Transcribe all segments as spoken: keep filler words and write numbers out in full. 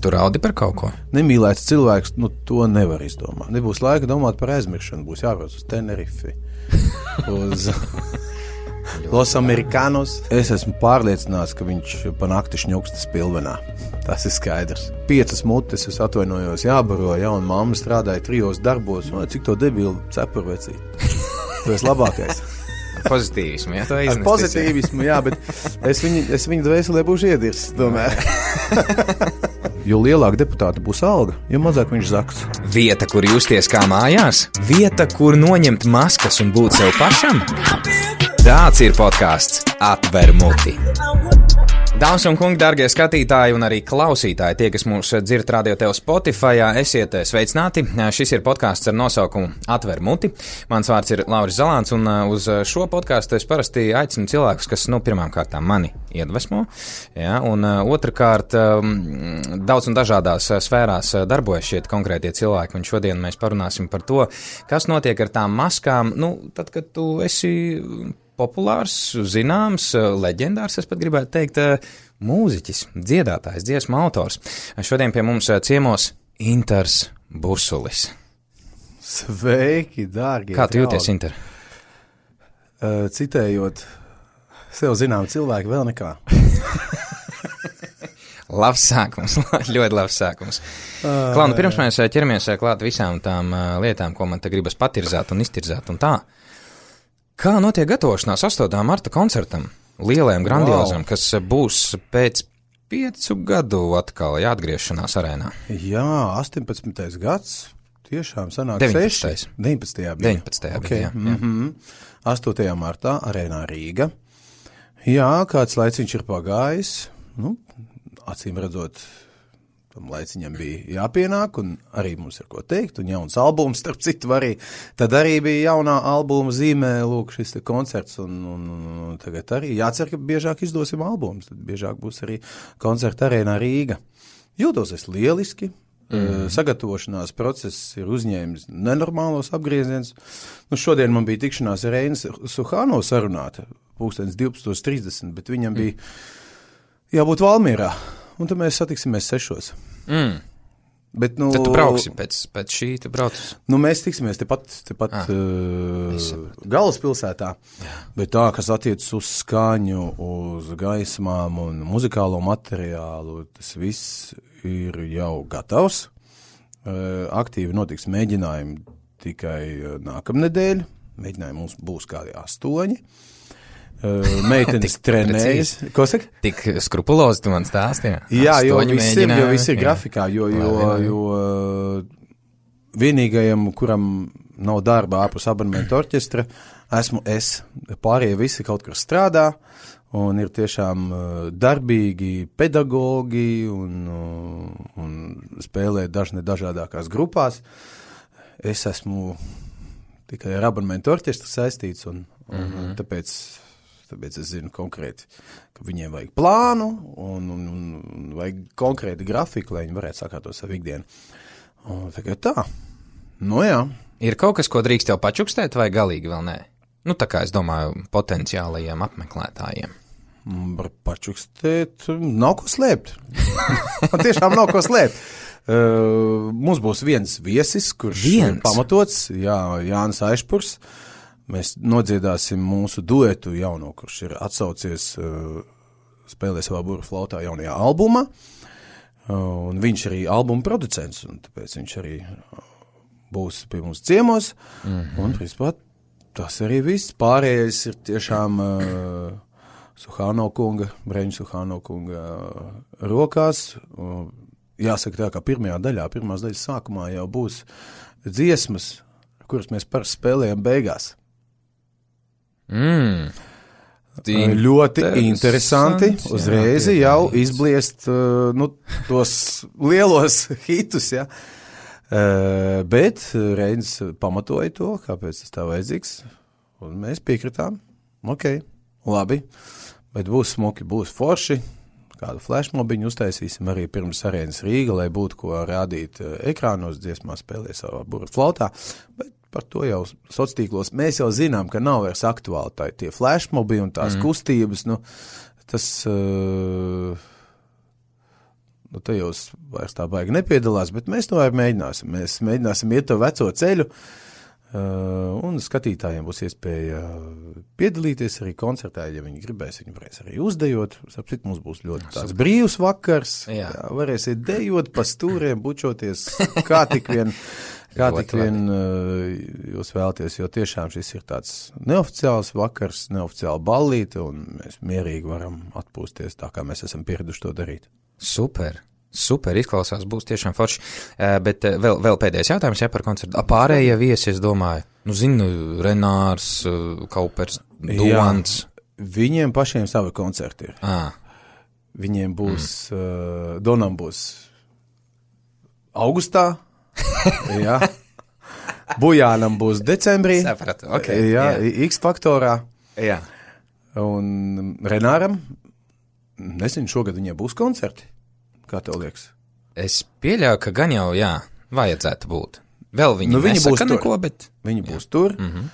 Tu raudi par kaut ko? Nemīlēts cilvēks, nu, to nevar izdomāt. Nebūs laika domāt par aizmiršanu, būs jābrauc uz Tenerifi, uz Los Americanos. Es esmu pārliecināts, ka viņš pa nakti šņukstas pilvenā. Tas ir skaidrs. Piecas mutes, es atvainojos, jābaro, ja, un mamma strādāja trijos darbos, un cik to debilu cepuru vecīt. Tu esi labākais. Pozitīvismu, jā, to Ar iznest. pozitīvismu, jā, bet es viņu, es viņu dvēselē būšu iedirs, tomēr. Jo lielāka deputāta būs alga, jo mazāk viņš zaks. Vieta, kur justies kā mājās? Vieta, kur noņemt maskas un būt sev pašam? Tāds ir podcasts Atver muti. Dāmas un kungi, dārgie skatītāji un arī klausītāji, tie, kas mūs dzird radio tev Spotifyā, esiet sveicināti. Šis ir podcasts ar nosaukumu Atver muti. Mans vārds ir Lauris Zalāns, un uz šo podcastu es parasti aicinu cilvēkus, kas, nu, pirmām kārtām mani iedvesmo, ja, un otrkārt daudz un dažādās sfērās darbojas šie konkrētie cilvēki, un šodien mēs parunāsim par to, kas notiek ar tām maskām, nu, tad, kad tu esi populārs, zināms, leģendārs, es pat gribētu teikt, mūziķis, dziedātājs, dziesmu autors. Šodien pie mums ciemos Inters Busulis. Sveiki, dārgie. Kā tu jūties, Inter? Uh, citējot sev zinām cilvēku, vēl nekā. Labs sākums, ļoti labs sākums. Uh, Klau, nu pirms mēs ķeramies klāt visām tām lietām, ko man te gribas patirzāt un iztirzāt un tā. Kā notiek gatavošanās astotā marta koncertam, lielajam, grandiozam, wow, kas būs pēc piecu gadu atkal jāatgriešanās arēnā? Jā, astoņpadsmitais gads, tiešām sanāk deviņpadsmitais. seši. deviņpadsmitajā bija. deviņpadsmitajā okay. bija, jā. Mm-hmm. astotajā martā arēnā Rīga. Jā, kāds laiciņš ir pagājis, nu, acīm redzot, tam laiciņam bija jāpienāk, un arī mums ir ko teikt, un jauns albums, starp citu, arī. Tad arī bija jaunā albuma zīmē, lūk, šis te koncerts, un, un, un tagad arī jācer, ka biežāk izdosim albumus, tad biežāk būs arī koncerta arēnā Rīga. Jūtos es lieliski, mm. sagatavošanās process ir uzņēmis nenormālos apgrieziens. Nu, šodien man bija tikšanās ar Reinas Suhāno sarunāta, pulkstens divpadsmit trīsdesmit, bet viņam mm. bija jābūt Valmierā. Un tad mēs satiksimies sešos. Mm. Bet, nu, tad tu brauksi pēc, pēc šī, tu braucis? Nu, mēs tiksimies tepat, tepat ah, uh, galvaspilsētā. Jā. Bet tā, kas attiecas uz skaņu, uz gaismām un muzikālo materiālu, tas viss ir jau gatavs. Uh, aktīvi notiks mēģinājumi tikai nākamnedēļ. Mēģinājumi mums būs kādi astoņi. Uh, meitenes trenējas. Ko saka? Tik skrupulozi tu man stāstīji. Jā, jo viss ir, jo viss ir grafikā, jo, jo, jo vienīgajam, kuram nav darba ārpus abonementa orķestra, esmu es. Pārējie visi kaut kur strādā un ir tiešām darbīgi pedagogi un, un spēlē dažne dažādākās grupās. Es esmu tikai ar abonementa orķestru saistīts un, un mm-hmm. tāpēc Tāpēc es zinu konkrēti, ka viņiem vajag plānu un, un, un vajag konkrēti grafiku, lai viņi varētu sakārtot savu ikdienu. Un tagad tā. Nu jā. Ir kaut kas, ko drīkst tev pačukstēt vai galīgi vēl nē? Nu tā kā es domāju potenciālajiem apmeklētājiem. Var pačukstēt, nav ko slēpt. Man tiešām nav ko slēpt. Uh, mums būs viens viesis, kurš viens? ir pamatots, jā, Jānis Aišpurs. Mēs nodziedāsim mūsu duetu jauno, kurš ir atsaucies, uh, spēlē savā burbuļu flautā jaunajā albumā, uh, un viņš arī albuma producents, un tāpēc viņš arī būs pie mums ciemos, mm-hmm. un, principā, tas arī viss. Pārējais ir tiešām uh, Suhāno kunga, Breņu Suhāno kunga uh, rokās. Uh, jāsaka tā, ka pirmajā daļā, pirmās daļas sākumā jau būs dziesmas, kuras mēs parasti spēlējam beigās. Mm. Ļoti interesanti, uzreiz jā, jau izbliest uh, nu, tos lielos hitus, ja. uh, bet Reinis pamatoja to, kāpēc tas tā vajadzīgs, un mēs piekritām, ok, labi, bet būs smuki, būs forši, kādu flashmobiņu uztaisīsim arī pirms arēnas Rīga, lai būtu ko rādīt ekrānos, dziesmā spēlē savā burbuļu flautā, bet par to jau sociālos mēs jau zinām, ka nav vairs aktuāli tā, tie flashmobi un tās mm. kustības, nu, tas, uh, nu, tajos vairs tā baigi nepiedalās, bet mēs to arī mēģināsim. Mēs mēģināsim iet to veco ceļu, uh, un skatītājiem būs iespēja piedalīties arī koncertā, ja viņi gribēs, viņi varēs arī uzdejot. Sapcīt, mums būs ļoti tāds brīvs vakars, jā. Jā, varēsiet dejot pa stūriem, bučoties, kā tik vien... Kā tik vien uh, jūs vēlaties, jo tiešām šis ir tāds neoficiāls vakars, neoficiāla ballīte, un mēs mierīgi varam atpūsties tā, kā mēs esam pieraduši to darīt. Super, super, izklausās, būs tiešām forši. Uh, bet uh, vēl, vēl pēdējais jautājums, ja par koncertu. Pārējie viesi, es domāju, nu zinu, Renārs, uh, Kaupers, Dovans. Jā, viņiem pašiem savi koncerti ir. Ah. Viņiem būs, mm. uh, Donam būs augustā, jā. Bujānam būs decembrī. Sapratu, okay, jā, jā. X-faktorā. Jā. Un Renāram, nezinu, šogad viņiem būs koncerti. Kā tev liekas? Es pieļauju, ka gan jau, jā, vajadzētu būt. Vēl viņi, nu, viņi nesaka neko, bet... Viņi jā. Būs tur. Mm-hmm.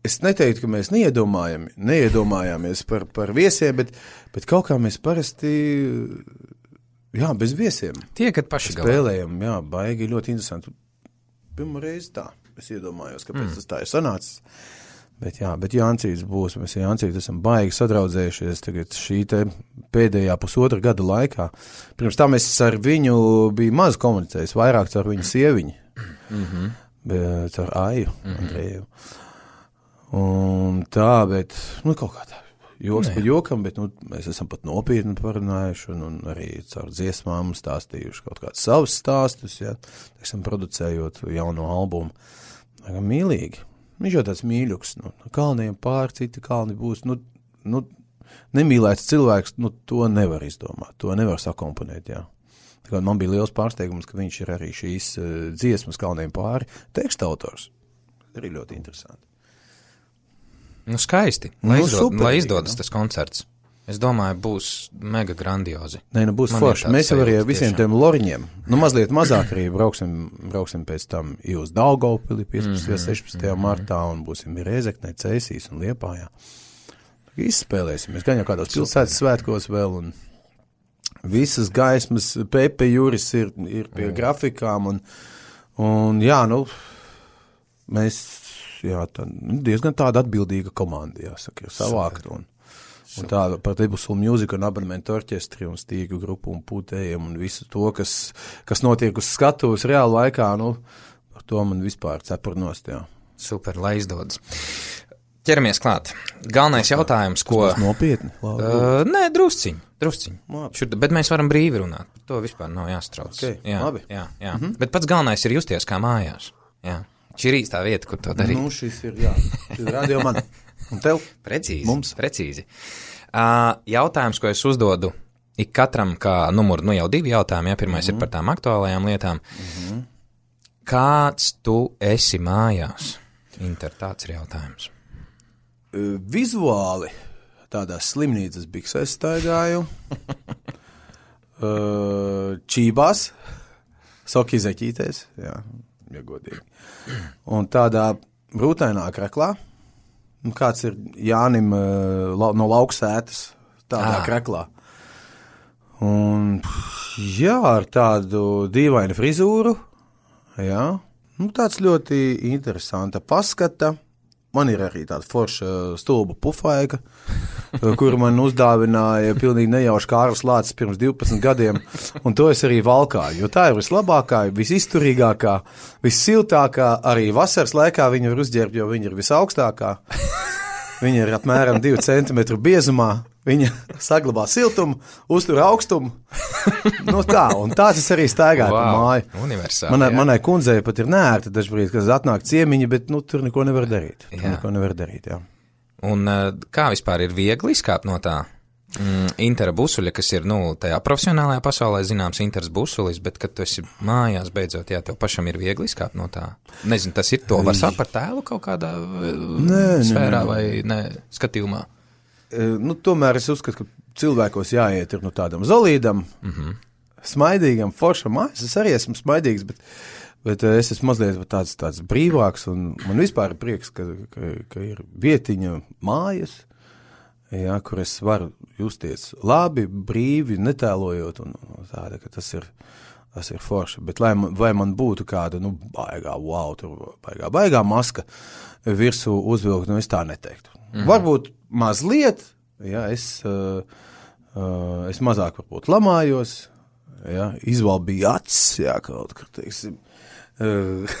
Es neteiktu, ka mēs neiedomājam, neiedomājāmies par, par viesiem, bet, bet kaut kā mēs parasti... Jā, bez viesiem. Tie, kad paši galā. Spēlējam, jā, baigi ļoti interesanti. Pirmā reize tā, es iedomājos, kāpēc mm. tas tā ir sanācis. Bet jā, bet Jāncīts būs, mēs Jāncīts esam baigi sadraudzējušies tagad šī te pēdējā pusotra gada laikā. Pirms tā mēs ar viņu bija maz komunicējis, vairāk ar viņu sieviņu, mm-hmm. bet ar Aju, mm-hmm. Andreju. Un tā, bet, nu, kaut kā tā. Joks pa jokam, bet nu, mēs esam pat nopietni parunājuši un, un arī caur dziesmām stāstījuši kaut kādus savus stāstus, ja, esam producējot jauno albumu. Mīlīgi. Viņš jau tāds mīļuks, nu, kalniem pār, citi kalni būs, nu, nu, nemīlēts cilvēks, nu, to nevar izdomāt, to nevar sakomponēt, jā. Tā kā man bija liels pārsteigums, ka viņš ir arī šīs uh, dziesmas kalniem pāri teksta autors. Arī ļoti interesanti. Nu, skaisti, lai, nu, izdod, super, lai izdodas nu. Tas koncerts. Es domāju, būs mega grandiozi. Nē, nu būs forši. Mēs jau arī visiem tiem loriņiem, nu mazliet mazāk arī brauksim, brauksim pēc tam uz Daugavpili piecpadsmitajā un sešpadsmitajā martā un būsim Rēzeknē, Cēsīs un Liepājā. Izspēlēsimies, gan jau kādos pilsētas svētkos vēl un visas gaismas, Pepe Juris ir, ir pie mm. grafikām un, un jā, nu, mēs... Jā, tā, diezgan tāda atbildīga komanda, jāsaka, ir savākt. Un, un tā par Debusulu mūziku un abonementu orķestri un stīgu grupu un pūtējiem un visu to, kas, kas notiek uz skatuves reāli laikā, nu, par to man vispār cepurnost, jā. Super, lai izdodas. Ķeramies klāt. Galvenais tā, jautājums, ko... Tas būs nopietni? Uh, nē, drusciņ, drusciņ. Šur, bet mēs varam brīvi runāt, par to vispār nav jāstrauc. Okay, jā, labi. Jā, jā. Mm-hmm. Bet pats galvenais ir justies kā mājās, jā. Šī ir īstā vieta, kur to darīt. Nu, šis ir, jā, šis ir radio man. Un tev? Precīzi, mums. Precīzi. Uh, jautājums, ko es uzdodu ik katram, kā numuru, nu jau divi jautājumi, ja pirmais mm-hmm. ir par tām aktuālajām lietām. Mm-hmm. Kāds tu esi mājās? Inter, tāds ir jautājums. Uh, vizuāli tādās slimnīcas biksēs staigāju, uh, čībās, soki zeķītēs, jā. Ja godīgi. Un tādā brūtainā kreklā, kāds ir Jānim no lauksētas, tādā ah. kreklā. Un, jā, ar tādu dīvainu frizūru, jā, nu, tāds ļoti interesanta paskata. Man ir arī tāda forša stulba pufaiga, kuru man uzdāvināja pilnīgi nejauši Kārlis Lācis pirms divpadsmit gadiem, un to es arī valkāju, jo tā ir vislabākā, visizturīgākā, vissiltākā, arī vasaras laikā viņa var uzģērbt, jo viņa ir visaugstākā. Viņa ir apmēram divu centimetru biezumā, viņa saglabā siltumu, uztur augstumu. Nu tā, un tā tas arī staigāja wow, pa māju. Universāli, manai, manai kundzei pat ir neērti dažbrīd, kad atnāk ciemiņi, bet nu, tur neko nevar darīt. Tur jā. neko nevar darīt, jā. Un kā vispār ir viegli izkāpt no tā? Mm, Intera busuļa, kas ir, nu, tajā profesionālajā pasaulē zināms Interas busulis, bet, kad tu esi mājās beidzot, jā, tev pašam ir viegli izkāpt no tā. Nezinu, tas ir to var sākt par tēlu kaut kādā nē, sfērā nē, nē. vai ne, skatījumā? E, nu, tomēr es uzskatu, ka cilvēkos jāiet ir no tādam zolīdam, mm-hmm. smaidīgam, foršam. Es arī esmu smaidīgs, bet, bet es esmu mazliet tāds, tāds brīvāks, un man vispār ir prieks, ka, ka, ka ir vietiņa mājas. jā, kur es varu justies labi, brīvi, netēlojot, un, un tāda, ka tas ir, tas ir forši. Bet lai man, vai man būtu kāda, nu, baigā, wow, tur baigā, baigā maska virsū uzvilkt, nu, es tā neteiktu. Mm. Varbūt mazliet, jā, es, uh, uh, es mazāk varbūt lamājos, jā, izvalbīju acis, jā, kaut kur, teiksim, uh,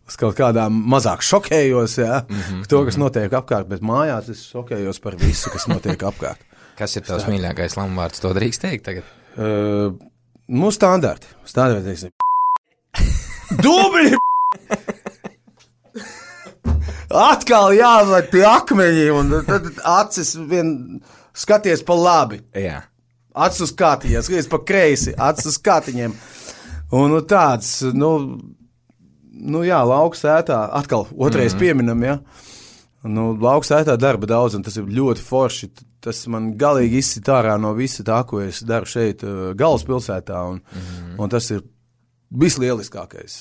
uz kaut kādām mazāk šokējos, jā, mm-hmm, to, kas notiek apkārt, bet mājās es šokējos par visu, kas notiek apkārt. Kas ir tavs mīļākais lamuvārds, to drīkst teikt tagad? Uh, nu, standarti. Standarti, teiksim. Dubļi! Atkal jāved pie akmeņi, un tad acis vien skaties pa labi. Jā. Acis uz kātiņiem, skaties pa kreisi, acis uz kātiņiem. Un nu, tāds, nu... Nu jā, lauksētā, atkal otrais mm-hmm. pieminam, jā. Nu, lauksētā darba daudz, un tas ir ļoti forši. Tas man galīgi izsit ārā no visa tā, ko es daru šeit galvaspilsētā, un, mm-hmm. un tas ir vislieliskākais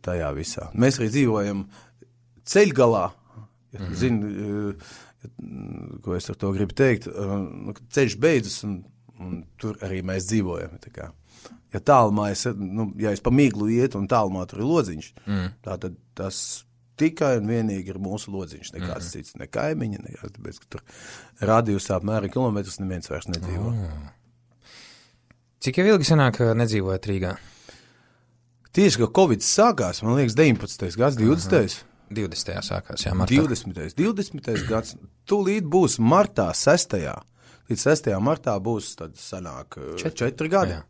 tajā visā. Mēs arī dzīvojam ceļgalā, ja mm-hmm. zini, ko es ar to gribu teikt, ceļš beidzas, un, un tur arī mēs dzīvojam, tā kā. Ja tālumā es, nu, ja es pa miglu ietu un tālumā tur ir lodziņš, mm. tā tad tas tikai un vienīgi ir mūsu lodziņš, nekāds mm. cits, ne kaimiņa, nekāds, tāpēc, ka tur radiusā apmēram kilometrus neviens vairs nedzīvo. Oh. Cik jau ilgi sanāk nedzīvojat Rīgā? Tieši, ka Covid sākās, man liekas, deviņpadsmitais gads, divdesmitais divdesmitajā sākās, jā, martā. divdesmitais divdesmitais gads, tūlīt būs martā, sestajā Līdz sestajā martā būs, tad sanāk četri, četri gadi. Jā.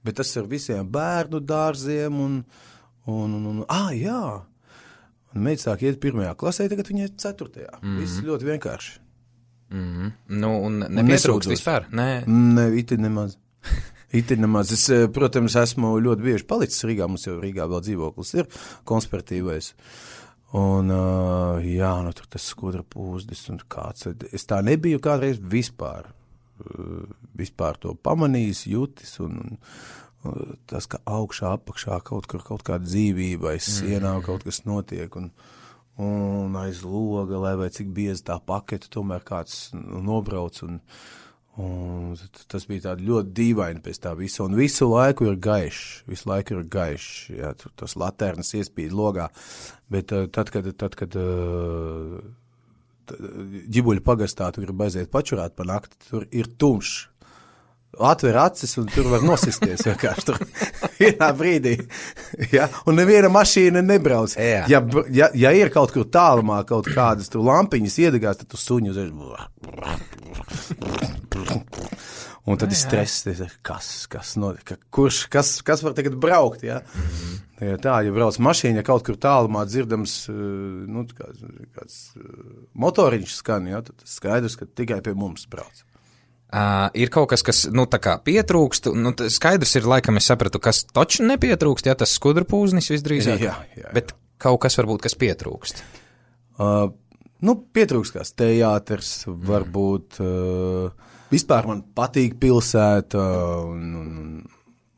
Bet tas ar visiem bērnu dārziem un, un, un, un ah, jā. Un meita sāk iet pirmajā klasē, tagad viņa ir ceturtajā. Mm-hmm. Viss ļoti vienkārši. Mm-hmm. Nu, un nepietrūkst vispār? Nē, ne, iti nemaz. Iti nemaz. Es, protams, esmu ļoti bieži palicis Rīgā, mums jau Rīgā vēl dzīvoklis ir konspiratīvais. Un, uh, jā, nu tur tas skudra pūzdis un kāds. Es tā nebiju kādreiz vispār, uh, vispār to pamanījis, jutis un, un uh, tas, ka augšā, apakšā kaut kur kaut kāda dzīvība, aiz sienā mm. kaut kas notiek un, un aiz loga, lai vai cik biezi tā paketa, tomēr kāds nobrauc un, un tas bija tādi ļoti dīvaini pēc tā visa. Un visu laiku ir gaišs, visu laiku ir gaišs, jā, tur tos laternas iespīd logā. Bet uh, tad, kad, tad, kad uh, ģibuļu pagastā tu gribi aiziet pačurāt pa nakti, tur ir tumšs. Atver acis un tur var nosisties vienkārši tur vienā brīdī. Ja? Un neviena mašīna nebrauc. Ja, ja, ja ir kaut kur tālumā kaut kādas tur lampiņas iedegās, tad tu suņu uzreiz. Un tad ir stress, kas, kas, no, kurš, kas, kas var tagad braukt, ja? Mm-hmm. Ja tā, ja brauc mašīna, ja kaut kur tālumā dzirdams, nu, kāds, kāds motoriņš skan, ja, tad skaidrs, ka tikai pie mums brauc. Uh, ir kaut kas, kas, nu, tā kā pietrūkst, nu, skaidrs ir, laikam es sapratu, kas toču nepietrūkst, ja, tas skudrpūznis visdrīzāk, jā, jā, jā. Bet kaut kas varbūt, kas pietrūkst. Uh, nu, pietrūkst kāds teāters, mm. varbūt... Uh, Vispār man patīk pilsēta, un, un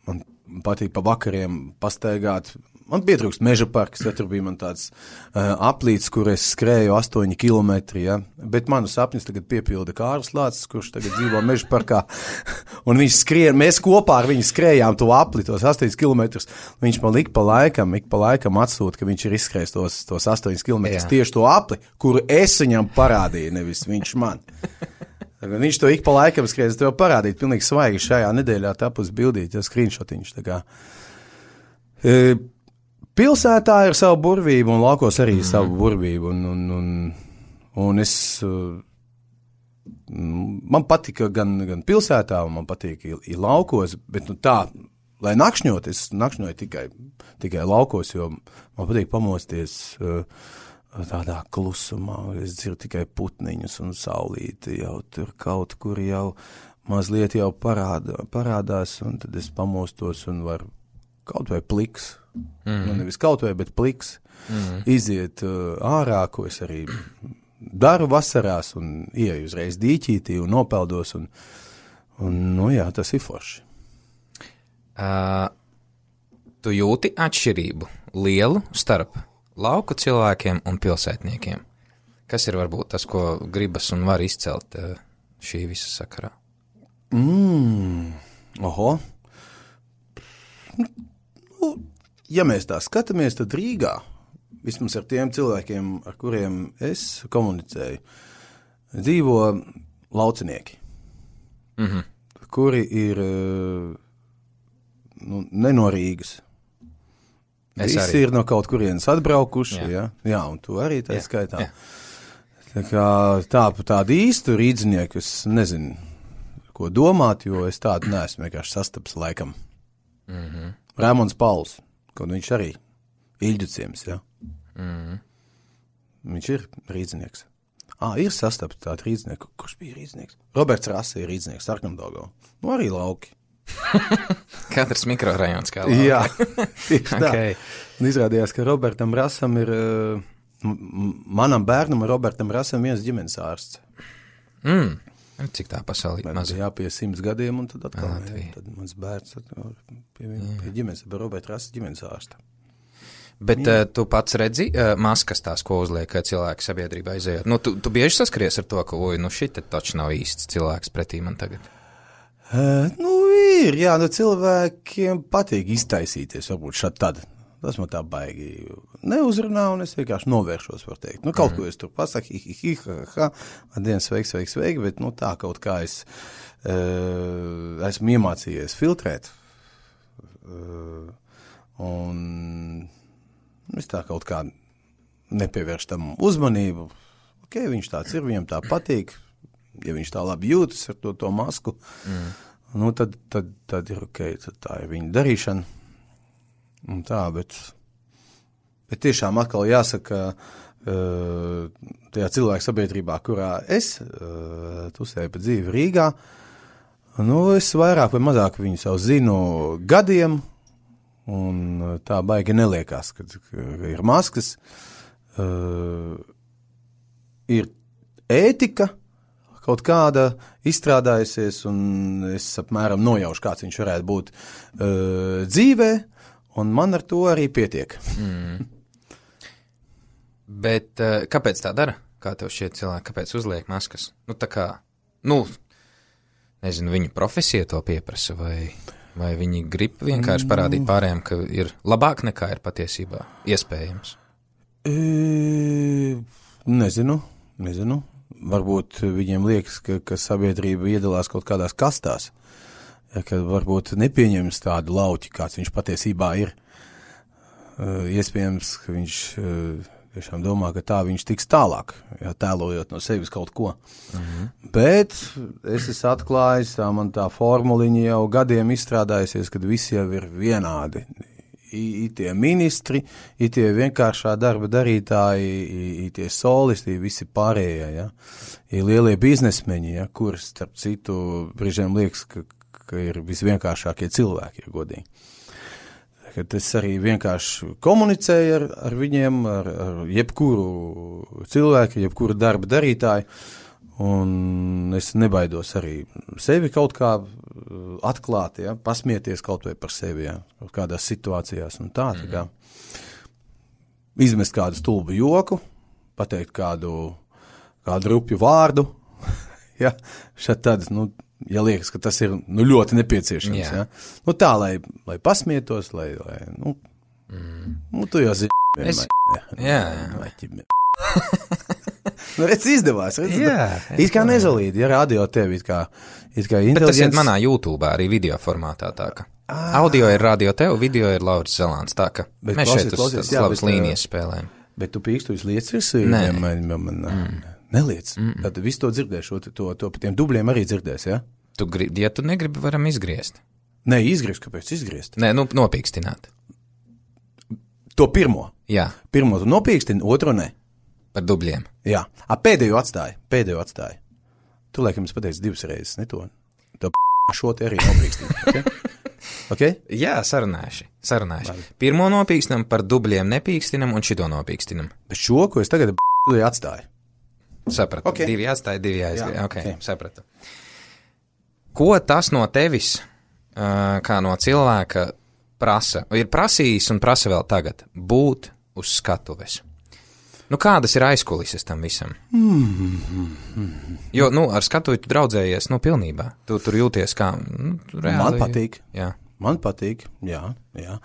man patīk pa vakariem pastaigāt. Man pietrūkst meža parks, ja tur bija man tāds uh, aplīts, kur es skrēju astoņi kilometri, ja. Bet manu sapnis tagad piepilda Kārlis Lācis, kurš tagad dzīvo meža parkā. Un viņš skrien, mēs kopā ar viņu skrējām to apli, tos astoņus kilometrus. Viņš man ik pa laikam, ik pa laikam atsūta, ka viņš ir izskrējis tos, tos astoņus kilometrus tieši to apli, kuru es viņam parādīju, nevis viņš man. Viņš to ik pa laikam skrēja, es tev parādīt, pilnīgi svaigi šajā nedēļā tapus bildīt, ja skrīnšotiņš, tā kā. E, pilsētā ir savu burvību, un laukos arī mm. savu burvību, un, un, un, un es, man patika gan, gan pilsētā, un man patīk ir laukos, bet nu tā, lai nakšņot, es nakšņoju tikai, tikai laukos, jo man patīk pamosties, uh, tādā klusumā, es dzirdu tikai putniņus un saulīti jau tur kaut kur jau mazliet jau parādā, parādās, un tad es pamostos un varu kaut vai pliks, mm. nu nevis kaut vai, bet pliks, mm. iziet uh, ārā, ko es arī daru vasarās un ieju uzreiz dīķītī un nopeldos, un, un nu jā, tas ir forši. Uh, tu jūti atšķirību lielu starp lauku cilvēkiem un pilsētniekiem. Kas ir varbūt tas, ko gribas un var izcelt šī visa sakarā? Mm, oho. Nu, ja mēs tā skatāmies, tad Rīgā, vismaz ar tiem cilvēkiem, ar kuriem es komunicēju, dzīvo laucinieki, mm-hmm. kuri ir nu, ne no Rīgas. Es Visi arī. Ir no kaut kurienes atbraukuši, jā, ja? Jā, un tu arī tā jā. skaitā. Jā. Tā kā tā, tādu īstu rīdzinieku es nezinu, ko domāt, jo es tādu neesmu vienkārši sastaps laikam. Mm-hmm. Rēmons Pauls, kaut viņš arī Iļģuciems, jā. Mm-hmm. Viņš ir rīdzinieks. Ā, ir sastaps tādu rīdzinieku. Kurš bija rīdzinieks? Roberts Rase ir rīdzinieks, Sarkandogau. Nu, arī lauki. Katrs mikrorajons kā lauki. Jā, tieši tā. Okay. Un izrādījās, ka Robertam Rasam ir... Manam bērnam ir Robertam Rasam viens ģimenes ārsts. Mm. Cik tā pasaulī maza? Jā, pie simts gadiem, un tad atkal, jā, jā, tad mans bērns pie, pie ģimenes, pie Roberta Rasa ģimenes ārsta. Bet uh, tu pats redzi uh, maskas tās, ko uzliek cilvēki sabiedrībā izējot. Nu, tu, tu bieži saskaries ar to, ka, oi, nu šit taču nav īsts cilvēks pretī man tagad. Uh, nu, ir, jā, nu cilvēkiem patīk iztaisīties, varbūt šad tad. Tas man tā baigi neuzrunā, un es vienkārši novēršos, var teikt. Nu, kaut mm. ko es tur pasaku, hi, hi, hi, ha, ha, ha, dienas sveiks, sveiks, sveiks, bet, nu, tā kaut kā es uh, esmu iemācījies filtrēt, uh, un es tā kaut kā nepievērš tam uzmanību. Ok, viņš tāds ir, viņam tā patīk, ja viņš tā labi jūtas ar to, to masku, mm. nu, tad, tad, tad ir ok, tad tā ir viņa darīšana. Un tā, bet, bet tiešām atkal jāsaka, uh, tajā cilvēku sabiedrībā, kurā es uh, tusēju pa dzīvi Rīgā, nu, es vairāk vai mazāk viņu savu zinu gadiem, un tā baigi neliekās, kad ir maskas, uh, ir ētika, kaut kāda izstrādājusies, un es apmēram nojaušu, kāds viņš varētu būt uh, dzīvē, un man ar to arī pietiek. Mm. Bet uh, kāpēc tā dara? Kā tev šie cilvēki, kāpēc uzliek maskas? Nu, tā kā, nu, nezinu, viņu profesija to pieprasa, vai, vai viņi grib vienkārši parādīt pārējiem, ka ir labāk nekā ir patiesībā iespējams? E, nezinu, nezinu. Varbūt viņiem liekas, ka, ka sabiedrība iedalās kaut kādās kastās. Ja, ka varbūt nepieņems tādu lauķi, kāds viņš patiesībā ir. Uh, iespējams, ka viņš uh, tiešām domā, ka tā viņš tiks tālāk, ja, tēlojot no sevis kaut ko. Mm-hmm. Bet es esmu atklājis, tā man tā formuliņa jau gadiem izstrādājusies, kad visi jau ir vienādi. I, i tie ministri, i tie vienkāršā darba darītāji, i, i tie solisti, i visi pārējie, ja. I lielie biznesmeņi, ja, kurus, starp citu, brīžiem liekas, ka ka ir visvienkāršākie cilvēki, ja godīgi. Kad es arī vienkārši komunicēju ar, ar viņiem, ar, ar jebkuru cilvēku, jebkuru darba darītāju, un es nebaidos arī sevi kaut kā atklāt, ja, pasmieties kaut vai par sevi, ja, kaut kādās situācijās un tā, tā kā izmest kādu stulbu joku, pateikt kādu, kādu rupju vārdu, ja, šad tad, nu, ja liekas, ka tas ir nu, ļoti nepieciešams. Jā. Ja? Nu, tā, lai, lai pasmietos, lai, lai nu, mm. nu, tu jau zini. Es... Jā, jā. Nu, redz, izdevās. Redz, jā. It kā nezalīdi, ja radio tevi, it kā, it kā inteliģents. Bet tas ir manā YouTube arī video formātā, tā ka. Ah. Audio ir radio tev, video ir Lauris Zelāns, tā ka bet mēs klausies, šeit uz tādas labas līnijas spēlējam. Bet tu pīkstu uz lietas virsī? Nē. Man, man, man, mm. Neliec. Mm-mm. Tad visu to dzirdēšu, to, to, to pa tiem dubļiem arī dzirdēs, ja? Tu gribi, ja tu negribi, varam izgriezt. Nē, izgriezt, kāpēc izgriezt? Nē, nu, nopīkstināt. To pirmo? Jā. Pirmo tu nopīkstini, otro ne. Par dubļiem. Jā. A, pēdējo atstāji, pēdējo atstāji. Tu, laikam, es pateicu divas reizes, ne to. To p*** šo te arī nopīkstini, ok? Okay? Jā, sarunāši, sarunāši. Labi. Pirmo nopīkstinam, par dubļiem nepīkstinam un šito nopīkstinam. Bet šo, ko es tagad p*** atstāju. Sapratu. Okay. Divi atstāja, divi aizgāja. Jā, okay, okay. Sapratu. Ko tas no tevis, kā no cilvēka, prasa? Ir prasījis un prasa vēl tagad būt uz skatuves? Nu, kādas ir aizkulises tam visam? Mm-hmm. Jo, nu, ar skatuvi tu draudzējies, nu, pilnībā. Tu tur jūties kā, nu, reāli. Man patīk. Jā. Man patīk, jā, jā.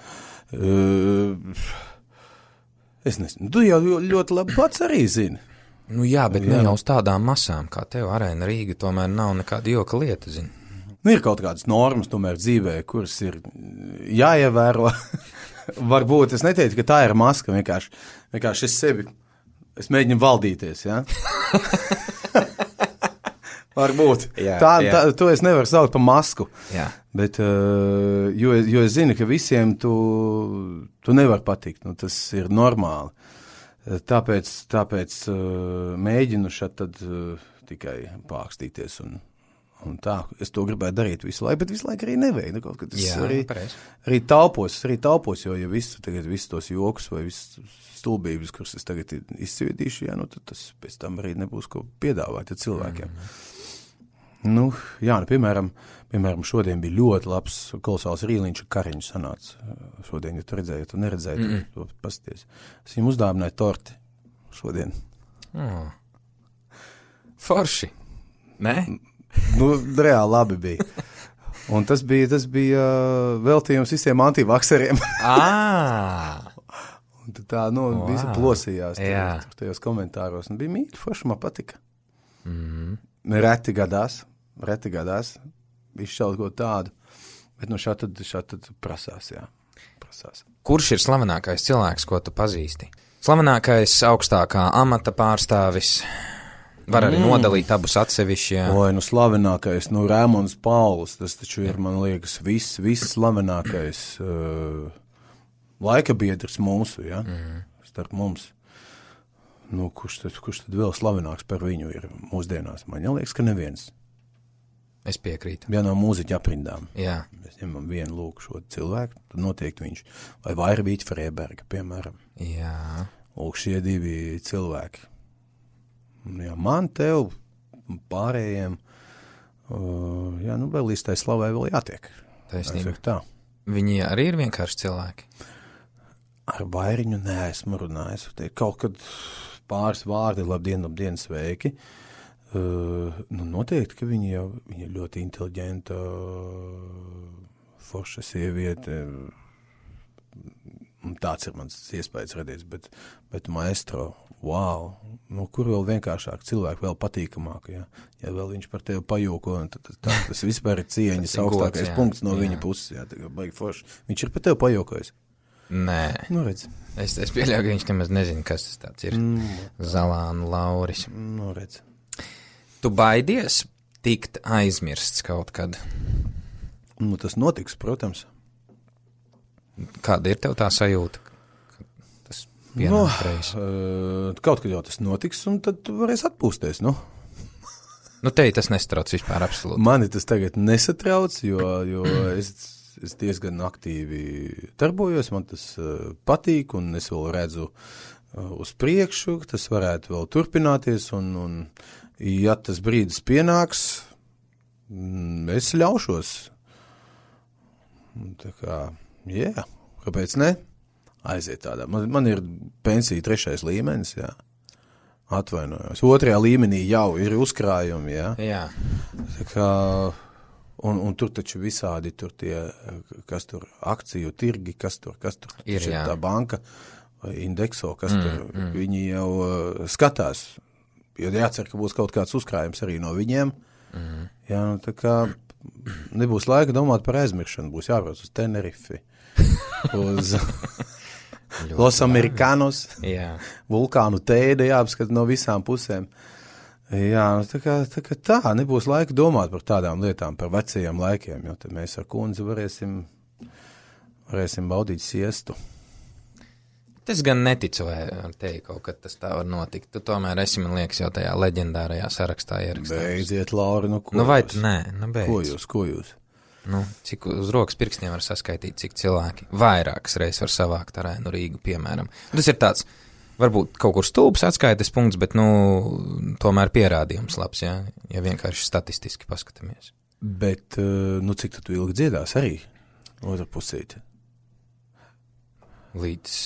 Uh, es nezinu, tu jau ļoti labi pats arī zini. Nu jā, bet jā. Ne jau uz tādām masām, kā tev Arēna Rīga, tomēr nav nekāda joka lieta, zini. Nu, ir kaut kādas normas tomēr dzīvē, kuras ir jāievēro. Varbūt es neteiktu, ka tā ir maska, vienkārši, vienkārši es sevi, es mēģinu valdīties, jā? Varbūt. Jā, tā, jā. Tā, to es nevaru saukt par masku. Jā. Bet, uh, jo, jo es zinu, ka visiem tu, tu nevar patikt, nu, tas ir normāli. Tāpēc, tāpēc uh, mēģinu šat tad uh, tikai pākstīties un Un tā, es to gribētu darīt visu laiku, bet visu laiku arī nevajag. Kaut, kad es Jā, arī, arī taupos, arī taupos, jo ja visu, tagad visus tos jokus vai visu stulbības, kuras es tagad izsviedīšu, jā, nu tad tas pēc tam arī nebūs ko piedāvāt ja cilvēkiem. Mm. Nu, jā, nu, piemēram, piemēram, šodien bija ļoti labs kolosāls rīliņš kariņš sanāca. Šodien, ja tu redzēji, ja tu neredzēji, mm. tu pasties. Es viņam uzdāvināju torti šodien. Oh. Forši, ne? Nu, reāli labi bija. Un tas bija, tas bija uh, veltījums visiem antivakseriem. Ah! Un tā, nu, wow. Visi plosījās tur, tur tajos komentāros. Un bija mīļi, forši, man patika. Mm-hmm. Reti gadās, reti gadās, izšķaut ko tādu. Bet nu šā tad, šā tad prasās, jā. Prasās. Kurš ir slavenākais cilvēks, ko tu pazīsti? Slavenākais augstākā amata pārstāvis... Var arī mm. nodalīt abus atsevišķi, jā. Oi, nu slavenākais, nu Rēmons Pauls, tas taču ir, man liekas, viss, viss slavenākais uh, laika biedrs mūsu, jā, mm. starp mums. Nu, kurš tad, kurš tad vēl slavenāks par viņu ir mūsdienās? Man liekas, ka neviens. Es piekrītu. Ja no mūziķa aprindām. Jā. Mēs ņemam vienu lūk šo cilvēku, tad noteikti viņš, vai Vairvīķa Freiberga, piemēram. Jā. Lūk, šie divi cilvēki. Jā, man, tev, pārējiem, uh, jā, nu, vēl līdz tai slavai vēl jātiek. Taisnība. Tā. Viņi arī ir vienkārši cilvēki? Ar Vairiņu neesmu runājis. Te kaut kad pāris vārdi, labdien, labdien, sveiki. Uh, nu, noteikti, ka viņi jau viņi ir ļoti inteliģenta, forša sieviete. Tāds ir mans iespējas radies, bet, bet maestro, wow, nu, kur vēl vienkāršāk cilvēki, vēl patīkamāk, ja, ja vēl viņš par tevi pajoko, tad tā, tas vispār ir cieņas augstākais gods, punkts no jā. Viņa puses, jā, tā kā baigi forši. Viņš ir par tevi pajokojis? Nē. Nu, redz. Es, es pieļauju, ka viņš nemaz nezina, kas tas tāds ir. Mm. Zalānu Lauris. Nu, redz. Tu baidies tikt aizmirsts kaut kad? Nu, tas notiks, protams. Kāda ir tev tā sajūta? Tas no, uh, kaut kad jau tas notiks, un tad tu varēsi atpūsties, nu. Nu, te tas nesatrauc vispār absolūti. Mani tas tagad nesatrauc, jo, jo es, es diezgan aktīvi darbojos, man tas uh, patīk, un es vēl redzu uh, uz priekšu, tas varētu vēl turpināties, un, un ja tas brīdis pienāks, mm, es ļaušos. Tā kā... Jā, yeah. Kāpēc ne? Aiziet tādā. Man, man ir pensija trešais līmenis, jā. Atvainojos. Otrajā līmenī jau ir uzkrājumi, jā. Jā. Tā kā, un, un tur taču visādi tur tie, kas tur akciju tirgi, kas tur, kas tur, ir, jā. Tā banka, indekso, kas mm, tur, mm. viņi jau uh, skatās. Jo jācer, ka būs kaut kāds uzkrājums arī no viņiem. Mm. Jā, nu tā kā nebūs laika domāt par aizmiršanu, būs jābrauc uz Tenerifi. Uz Los Americanos, jā. Vulkānu tēde jāapskata no visām pusēm. Jā, tā kā, tā kā tā, nebūs laika domāt par tādām lietām, par vecajiem laikiem, jo tad mēs ar kundzi varēsim, varēsim baudīt siestu. Es gan neticu, vai ar tevi kaut kad tas tā var notikt. Tu tomēr esi, man liekas, jau tajā leģendārajā sarakstā ierakstāts. Beidziet, Lauri, nu ko nu, vai jūs? Tu nē, nu beidz. Ko jūs, ko jūs? Nu, cik uz rokas pirkstiem var saskaitīt, cik cilvēki vairākas reizes var savākt Arēnu Rīgu, piemēram. Tas ir tāds, varbūt kaut kur stulbs atskaites punkts, bet, nu, tomēr pierādījums labs, jā, ja vienkārši statistiski paskatāmies. Bet, nu, cik tu ilgi dziedās arī otra pusīte? Līdz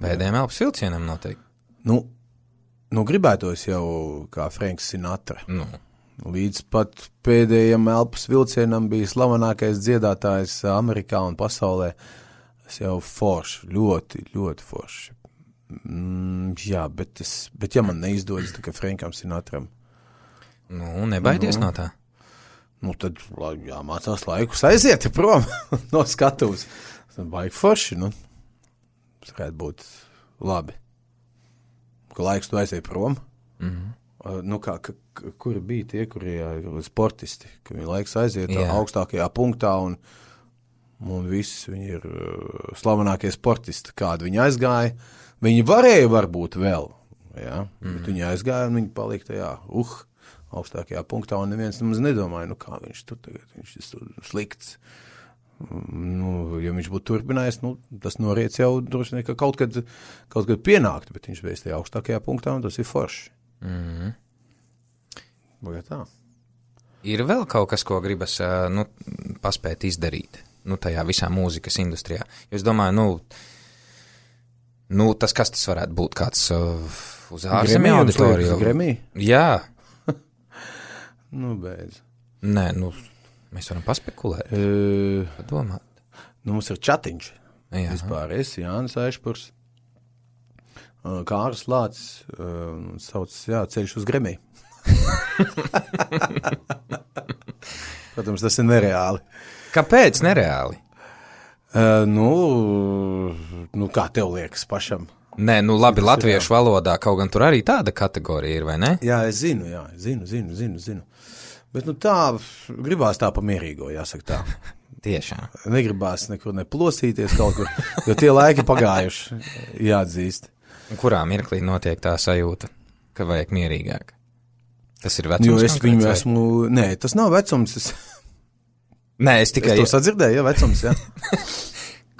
pēdējiem elpas vilcienam noteikti. Nu, Nu, gribētos jau kā Franks Sinatra. Nu. Līdz pat pēdējiem elpas vilcienam bija slavenākais dziedātājs Amerikā un pasaulē. Tas jau forši, ļoti, ļoti forši. Mm, jā, bet, es, bet ja man neizdodas, tā kā Frankam Sinatram. Nu, nebaidies nu. No tā. Nu, tad jāmācās laikus aiziet prom no skatuves. Tas baigi forši, nu. Tas varētu būt labi. Ka laiks tu aiziet prom. Mhm. Uh, nu, kā, ka, kuri bija tie, kuri jā, sportisti, ka viņi laiks aiziet jā. augstākajā punktā un, un viss viņi ir uh, slavenākie sportisti, kādi viņi aizgāja. Viņi varēja varbūt vēl, jā, mm. bet viņi aizgāja un viņi palika tajā, uh, augstākajā punktā un neviens nemaz nedomāja, nu kā viņš tur tagad, viņš ir slikts. Nu, ja viņš būtu turpinājis, nu, tas noriec jau droši vien, ka kaut kad, kaut kad pienākt, bet viņš bija tajā augstākajā punktā un tas ir forši. Mm. Vai tā? Ir vēl kaut kas, ko gribas nu, paspēt izdarīt nu, tajā visā mūzikas industrijā. Jo es domāju, nu, nu tas kas tas varētu būt kāds uh, uz ārzemju auditoriju? Gremī? Jā. Nu, beidz. Nē, nu, mēs varam paspekulēt. Uh, Padomāt. Nu, mums ir čatiņš. Jā. Vispār es, Jānis Aišpurs. Kārs Lācis uh, sauc, jā, ceļš uz Gremī. Protams, tas ir nereāli. Kāpēc nereāli? Uh, nu, nu, kā tev liekas pašam? Nē, nu labi, tas latviešu ir, valodā kaut gan tur arī tāda kategorija ir, vai ne? Jā, es zinu, jā, zinu, zinu, zinu, zinu. Bet nu tā, gribās tā pamierīgo, jāsaka tā. Tiešām. Negribās nekur neplosīties kaut kur, jo tie laiki pagājuši, jāatzīst. Kurā mirklī notiek tā sajūta, ka vajag mierīgāk? Tas ir vecums? Jo es viņu vai? esmu... Nē, tas nav vecums. Es... Nē, es tikai... Es to sadzirdēju, jā, vecums, jā.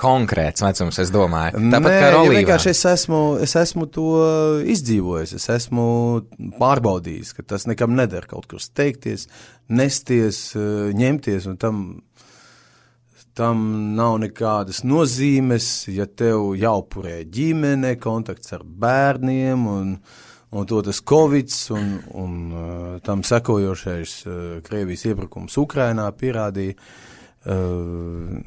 Konkrēts vecums, es domāju. Tāpat Nē, kā Rolīvā. Ja vienkārši es esmu, es esmu to izdzīvojis, es esmu pārbaudījis, ka tas nekam neder kaut kur steigties, nesties, ņemties un tam... Tam nav nekādas nozīmes, ja tev jāupurē ģimene, kontakts ar bērniem un, un to tas Covids un, un uh, tam sekojošais uh, Krievijas iebrukums Ukrainā pierādīja, uh,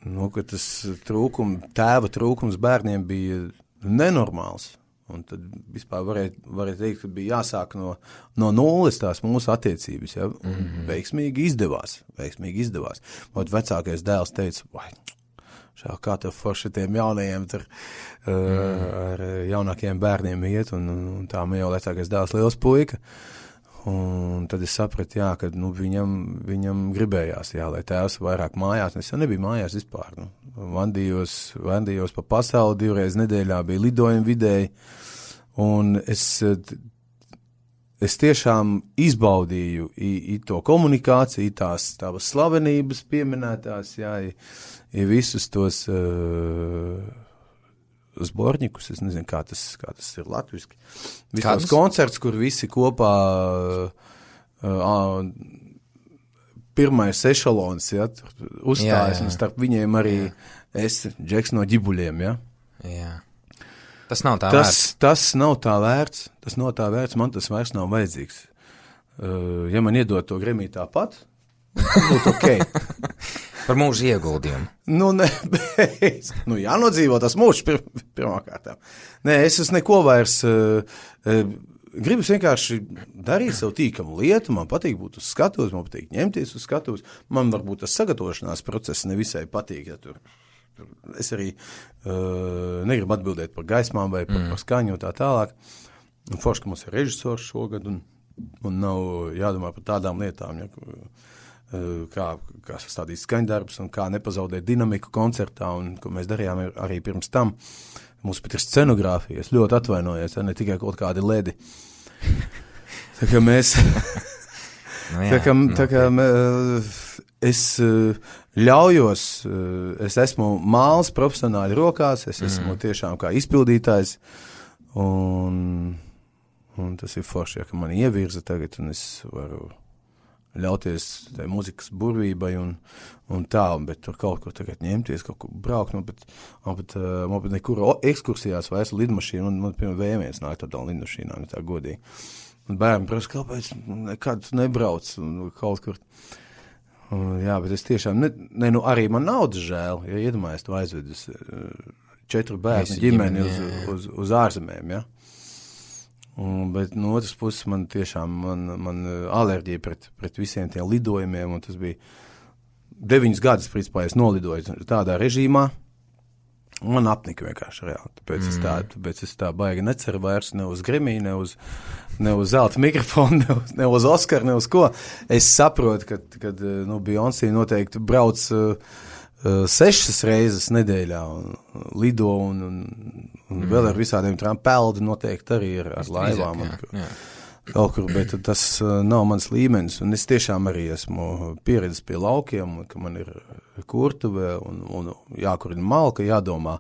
nu, ka tas trūkum, tēva trūkums bērniem bija nenormāls. Un tad vispār varēja, varēja teikt, ka bija jāsāk no, no nulles tās mūsu attiecības, ja, un mm-hmm. veiksmīgi izdevās, veiksmīgi izdevās. Ot vecākais dēls teica, vai, šā, kā tev forši tiem jaunajiem tur uh, mm. ar jaunākiem bērniem iet, un, un tā man jau vecākais dēls liels puika. Un tad es sapratu, jā, ka nu, viņam, viņam gribējās, jā, lai tēvs vairāk mājās, es jau nebiju mājās vispār, nu. Vandījos, vandījos pa pasauli, divreiz nedēļā bija lidojumi vidēji, un es, es tiešām izbaudīju i, i to komunikāciju, i tās tavas slavenības pieminētās, jā, i, i visus tos uh, zborņikus, es nezinu, kā tas, kā tas ir latviski, visus tos koncerts, kur visi kopā... Uh, uh, Pirmais ešalons, ja, uzstājas, jā, jā. Un starp viņiem arī jā. Es, Džeks no ģibuļiem, ja. Jā. Tas nav tā tas, vērts. Tas nav tā vērts, tas nav tā vērts, man tas vairs nav vajadzīgs. Uh, ja man iedod to Gremī tāpat, būtu ok. Par mūžu ieguldījumu. Nu, ne, bet, nu, jānodzīvo tas mūžs pir, pirmā kārtā. Nē, es esmu neko vairs... Uh, uh, Gribas vienkārši darīt savu tīkamu lietu, man patīk būt uz skatuves, man patīk ņemties uz skatuves, man varbūt tas sagatavošanās process nevisai patīk, ja tur, tur es arī uh, negribu atbildēt par gaismām vai par, mm. par skaņu un tā tālāk. Un forši, ka mums ir režisors šogad un, un nav jādomā par tādām lietām, ja, uh, kā, kā sastādīt skaņdarbus un kā nepazaudēt dinamiku koncertā un ko mēs darījām arī pirms tam. Mums pat ir scenogrāfija, es ļoti atvainojos, ja, ne tikai kaut kādi ledi. Tā kā mēs, nu jā, tā kā, nu, tā kā mē, es ļaujos, es esmu māls profesionāli rokās, es esmu mm. tiešām kā izpildītājs, un, un tas ir forši, ja, ka mani ievirza tagad, un es varu, ļauties tai muzikas burvībai un, un tā, bet tur kaut kur tagad ņemties, kaut kur braukt, man pat, man pat, man pat nekur ekskursijās vairs lidmašīna, man, man piemēram, V viens nāk tādā lidmašīnā, ne tā godīgi. Un bērni prasa, kāpēc nekad nebrauc kaut kur. Un, jā, bet es tiešām, ne, ne, nu arī man naudas žēl, ja iedomājies to aizvedus četru bērnu ģimeni uz, uz, uz ārzemēm, ja. Un, bet no otras puses man tiešām, man, man alerģija pret, pret visiem tiem lidojumiem, un tas bija deviņas gadus, principā, es nolidoju tādā režīmā, un man apnika vienkārši reāli, tāpēc, mm. es tā, tāpēc es tā baigi neceru vairs ne uz Grammy, ne uz, ne uz zelta mikrofonu, ne uz, ne uz Oskar, ne uz ko. Es saprotu, ka, kad, nu, Beyoncé noteikti brauc uh, uh, sešas reizes nedēļā un lido un, un, un mm. vēl ar visādiem trām peldi noteikti arī ar, ar laivām. Jā, jā. Kaut kur, bet tas uh, nav mans līmenis, un es tiešām arī esmu pieredzis pie laukiem, ka man ir kurtuve un, un jākurina malka, jādomā,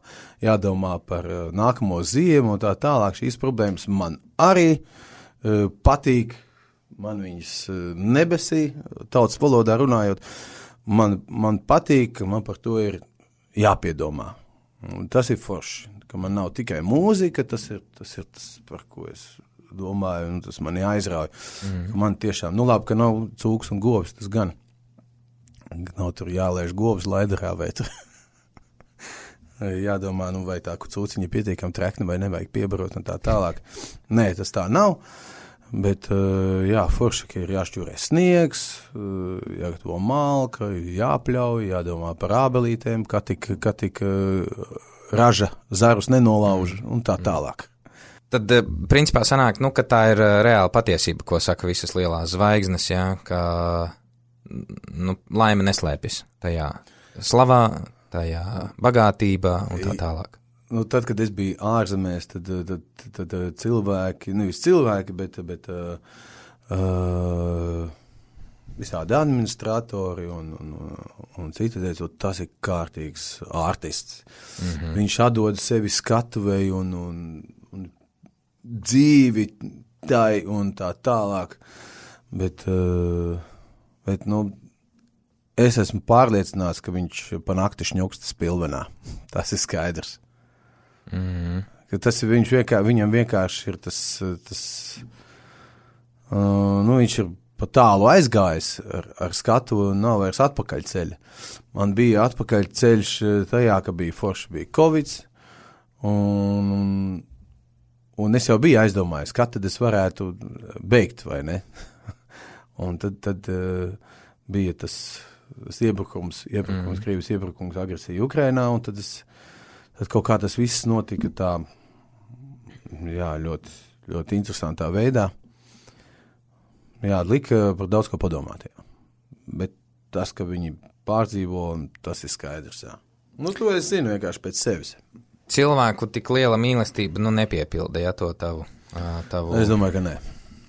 jādomā par uh, nākamo ziemu un tā tālāk. Šīs problēmas man arī uh, patīk, man viņas uh, nebesī, tautas valodā runājot, man, man patīk, ka man par to ir jāpiedomā. Un tas ir forši, ka man nav tikai mūzika, tas ir tas, ir tas par ko es domāju, un tas mani aizrauja. Mm. Man tiešām, nu labi, ka nav cūks un govs, tas gan. Nav tur jālēž govs laidarā, vai tur jādomā, nu vai tā, ka cūciņa pietiekam trekni, vai nevajag piebarot un tā tālāk. Nē, tas tā nav, bet jā, forši, ka ir jāšķūrē sniegs, jāgatavo malka, jāpļauj, jādomā par ābelītēm, kā tik, kā tik raža zarus nenolauž un tā tālāk. Tad, principā, sanāk, nu, ka tā ir reāla patiesība, ko saka visas lielās zvaigznes, jā, ka, nu, laime neslēpjas tajā slavā, tajā bagātībā un tā tālāk. Nu, tad, kad es biju ārzemēs, tad, tad, tad, tad cilvēki, nevis cilvēki, bet, bet uh, uh, visādi administratori un, un, un citi teica, tas ir kārtīgs artists. Mm-hmm. Viņš atdod sevi skatuvei un, un, un dzīvi tai un tā tālāk, bet, uh, bet, nu, es esmu pārliecināts, ka viņš pa nakti šņuksta spilvenā. Tas ir skaidrs. Mm-hmm. Ka tas ir viņš vienkārši, viņam vienkārši ir tas, tas uh, nu, viņš ir pa tālu aizgājis ar, ar skatu un nav vairs atpakaļceļa. Man bija atpakaļceļš tajā, ka bija forši, bija Covids, un, un Un es jau biju aizdomājis, kad tad es varētu beigt, vai ne? Un tad, tad uh, bija tas, tas iebrukums, iebrukums, mm. Krievijas iebrukums, agresija Ukrainā, un tad, es, tad kaut kā tas viss notika tā, jā, ļoti, ļoti interesantā veidā. Jā, lika par daudz ko padomāt, jā. Bet tas, ka viņi pārdzīvo, tas ir skaidrs, jā. Nu, to es zinu vienkārši pēc sevis. Cilvēku tik liela mīlestība, nu, nepiepilda, ja, to tavu, tavu es domāju, ka nē.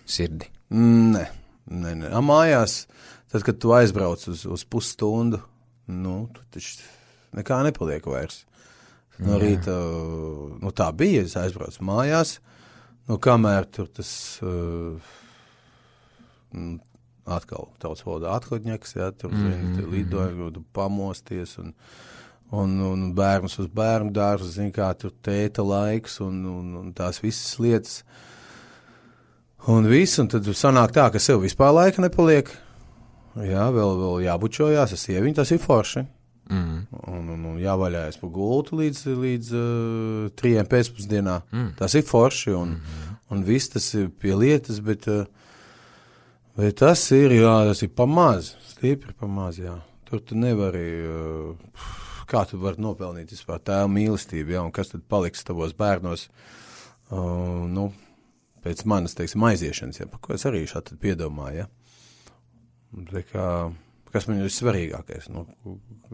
Sirdi. Nē, nē, nē. A mājās, tad, kad tu aizbrauc uz, uz pusstundu, nu, tu taču nekā nepaliek vairs. No rīta, nu, tā bija, es aizbraucu mājās, nu, kamēr tur tas uh, atkal tautas valodā athodņaks, ja, tur, mm-hmm. zini, lidoja, tu pamosties un Un, un bērnus uz bērnu dārzu, zin kā tur tēta laiks un, un, un tās visas lietas. Un viss, un tad sanāk tā, ka sev vispār laika nepaliek. Jā, vēl, vēl jābučojās, es sieviņu, tas ir forši. Mm. Un, un, un jāvaļājas pa gultu līdz, līdz uh, trījiem pēcpusdienā. Mm. Tas ir forši, un, mm-hmm. un viss tas ir pie lietas, bet, uh, bet tas ir, jā, tas ir pamaz, stipri pamaz, jā. Tur tu nevari... Uh, kā tu vari nopelnīt vispār tēvu mīlestību, ja, un kas tad paliks tavos bērnos, uh, nu, pēc manas, teiksim, aiziešanas, ja, par ko es arī šādi tad piedomāju, ja. Tā kā, kas man ir svarīgākais, nu,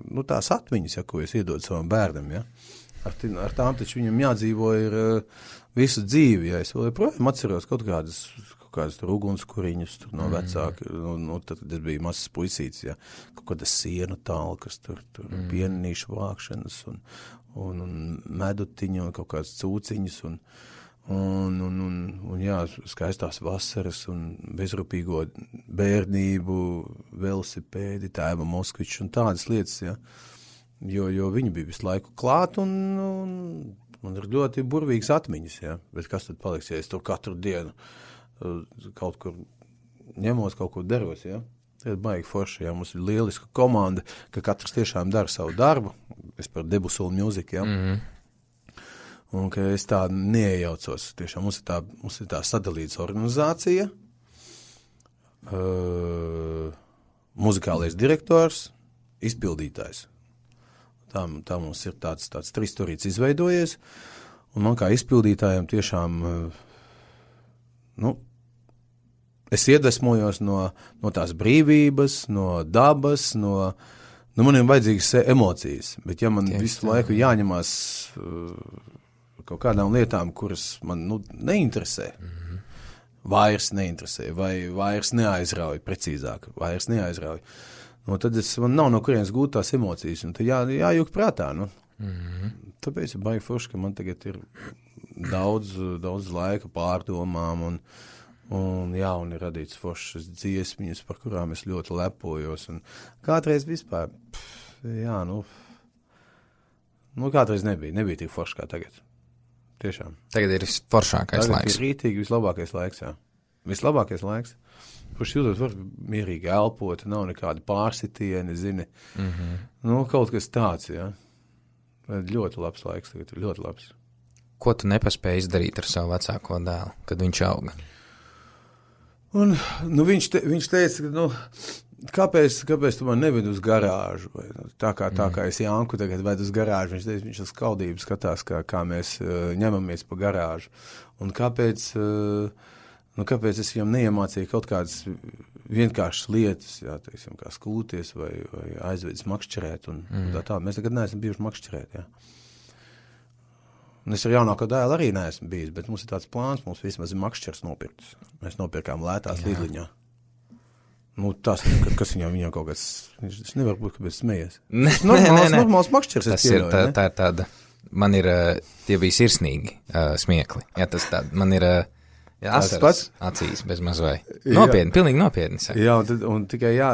nu tās atmiņas, ja, ko es iedodu savam bērnam, ja. Ar, t- ar tām taču viņam jādzīvo ir uh, visu dzīvi, ja. Es vēl joprojām atceros kaut kādas, kādas tur ugunskuriņus tur no vecāki, mm. nu, nu, tad, kad es biju mazs puisīts, ja, kaut kādas sienu talkas, tur, tur mm. pienīšu vākšanas un, un, un medutiņu un kaut kādas cūciņas un, Un, un, un, un jā, skaistās vasaras un bezrūpīgo bērnību, velosipēdi, tēva Moskvičs un tādas lietas, jā. Jo, jo viņi bija visu laiku klāt un, un man ir ļoti burvīgas atmiņas, jā. Bet kas tad paliks, ja es tur katru dienu kaut kur ņemos, kaut ko daros, jā. Tad baigi forši, jā, mums ir lieliska komanda, ka katrs tiešām dara savu darbu. Es par Debusolu Music, jā. Mm-hmm. Un ka es tā neiejaucos. Tiešām mums ir tā, mums ir tā sadalītas organizācija, uh, muzikālais direktors, izpildītājs. Tā, tā mums ir tāds, tāds tristurīts izveidojies, un man kā izpildītājiem tiešām, uh, nu, es iedvesmojos no, no tās brīvības, no dabas, no, nu, man ir vajadzīgas emocijas, bet ja man Tieks, visu laiku jāņemās uh, kaut kādām lietām, kuras man, nu, neinteresē, mm-hmm. vairs neinteresē, vai vairs neaizrauj, precīzāk, vairs neaizrauj, nu, tad es, man nav no kurienes gūt tās emocijas, un tad jā, jājūk prātā, nu. Mm-hmm. Tāpēc ir baigi forši, ka man tagad ir daudz, daudz laika pārdomām, un Un jā, un ir radīts foršas dziesmiņas, par kurām es ļoti lepojos. Un kādreiz vispār, pff, jā, nu, nu, kādreiz nebija, nebija tik forši kā tagad. Tiešām. Tagad ir foršākais tagad laiks. Tagad ir rītīgi vislabākais laiks, jā. Vislabākais laiks. Kurš jūtot var mierīgi elpot, nav nekādi pārsitieni, zini. Mm-hmm. Nu, kaut kas tāds, jā. Ļoti labs laiks tagad, ļoti labs. Ko tu nepaspēji izdarīt ar savu vecāko dēlu, kad viņš auga? Un, nu, viņš, te, viņš teica, ka, nu, kāpēc, kāpēc tu man neved uz garāžu? Vai, nu, tā, kā, tā kā es Janku tagad ved uz garāžu, viņš teica, viņš uz skaudību skatās, kā, kā mēs uh, ņemamies pa garāžu. Un kāpēc, uh, nu, kāpēc es viņam neiemācīju kaut kādas vienkāršas lietas, jā, teiksim, kā skūties vai, vai aizvedis makšķerēt. Un, mm. un tā tā. Mēs tagad neesam bijuši makšķerēt, jā. Un es ar jaunāko dēlu arī neesmu bijis, bet mums ir tāds plāns, mums vismaz ir makšķers nopirkts. Mēs nopirkām lētās Lidliņā. Nu, tas, kas viņam, viņam kaut kāds, viņš nevar būt, kāpēc smējies. Nē, normāls, nē, nē. Normāls makšķers. Tas ir, tā, tā ir tāda, man ir, tie bija sirsnīgi uh, smiekli. Jā, tas tāda, man ir uh, jā, asaras acīs bez mazvai. Nopietni, pilnīgi nopietni. Saka. Jā, un, tad, un tikai jā,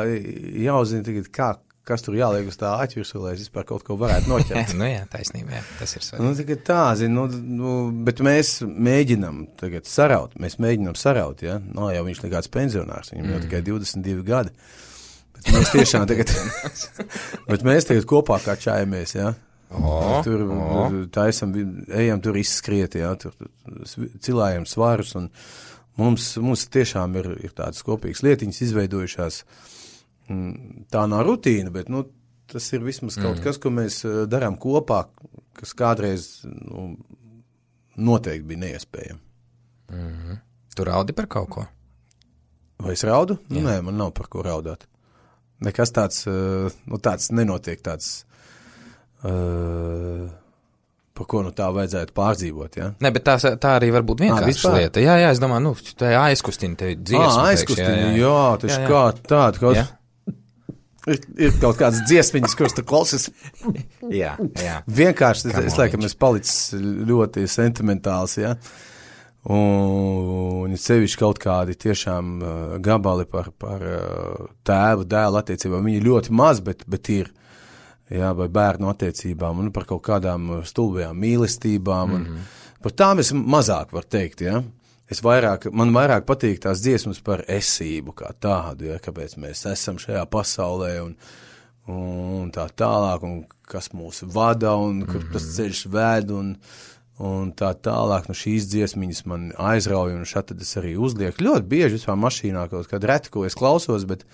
jāuzzina tagad, kā, kas tur jāliek uz tā aķvirsu, lai es vispār kaut ko varētu noķert. Nu jā, taisnība, jā, tas ir svarīgi. Nu, tikai tā, zin, nu, nu, bet mēs mēģinam tagad saraut, mēs mēģinam saraut, ja? Nav jau viņš nekāds pensionārs, viņam mm. jau tikai divdesmit divi gadi. Bet mēs tiešām tagad, bet mēs tagad kopā kā čājamies, ja? Oh, tur oh. taisam, ejam tur izskriet, ja? Tur cilājam svarus, un mums, mums tiešām ir, ir tādas kopīgas lietiņas izveidojušās. Tā nav rutīna, bet, nu, tas ir vismaz kaut mm. kas, ko mēs darām kopā, kas kādreiz, nu, noteikti bija neiespējami. Mm-hmm. Tu raudi par kaut ko? Vai es raudu? Nu, nē, man nav par ko raudāt. Nekas tāds, nu, tāds nenotiek tāds, uh, par ko, nu, tā vajadzētu pārdzīvot, ja? Nē, bet tā, tā arī var būt vienkārša lieta. Jā, jā, es domāju, nu, tā aizkustina tevi dziesmu. Ā, aizkustina, jā, jā. jā, taču jā, jā. kā tāda, kaut... Jā. Ir, ir kaut kādas dziesmiņas, kuras tu klausies. jā, jā. Vienkārši, es, es laikam, es palicis ļoti sentimentāls, ja. Un sevišķi kaut kādi tiešām uh, gabali par, par uh, tēvu, dēlu attiecībām. Viņi ļoti maz, bet, bet ir, jā, vai bērnu attiecībām, un par kaut kādām stulbajām mīlestībām. Mm-hmm. Un par tām es mazāk var teikt, ja. Es vairāk, man vairāk patīk tās dziesmas par esību kā tādu, ja, kāpēc mēs esam šajā pasaulē un, un tā tālāk, un kas mūs vada, un kur mm-hmm. tas ceļš ved, un, un tā tālāk. Nu, šīs dziesmiņas man aizrauja, un šā tad es arī uzlieku. Ļoti bieži vispār mašīnā kaut kādu reti, ko es klausos, bet,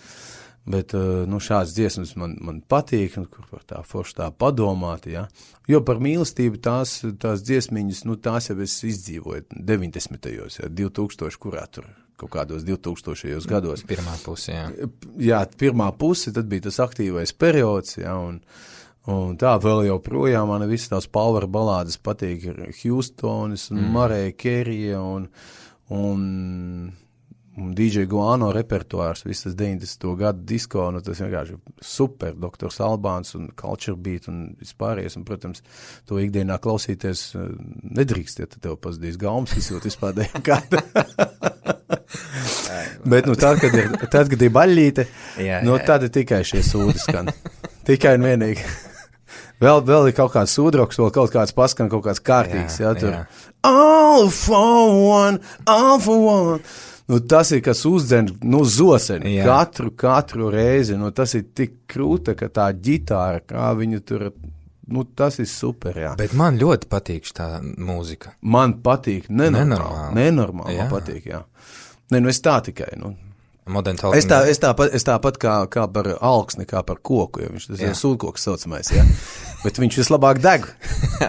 bet nu, šāds dziesmas man, man patīk, un kur par tā forši tā padomāt, ja. Jo par mīlestību tās, tās dziesmiņas, nu, tās jau es izdzīvoju deviņdesmitajos, ja, divtūkstoši, kurā tur kaut kādos divtūkstošajos gados. Pirmā puse, jā. Jā, pirmā puse, tad bija tas aktīvais periods, ja, un, un tā vēl joprojām man visas tās power balādes patīk, Houstonis un mm. Mariah Carey un, un D J Guano repertuārs, visas deviņdesmito gadu disko, nu tas vienkārši super, doktors Albāns un Culture Beat un vispārējais, un, protams, to ikdienā klausīties nedrīkst, ja tev pazudīs gaumas, izjūt vispār dēļ kāda. Bet, nu, tad, kad ir, tad, kad ir baļļīte, jā, nu, jā. Tad ir tikai šie sūdi skan. Tikai un vienīgi. Vēl, vēl ir kaut kāds sūdroks, vēl kaut kāds paskan, kaut kāds kārtīgs, jā, jā tur. Jā. All for one, all for one. Nu, tas ir, kas uzdzen, nu, zoseni, jā. katru, katru reizi, nu, tas ir tik krūta, ka tā ģitāra, kā viņu tur, nu, tas ir super, jā. Bet man ļoti patīk tā mūzika. Man patīk, nenormāli, nenormāli man patīk, jā. Ne, nu, es tā tikai, nu. Es, tā, es, tāpat, es tāpat kā, kā par alksni, kā par koku, jo viņš tas jā. ir sūdkoks saucamais, jā. Bet viņš vislabāk deg.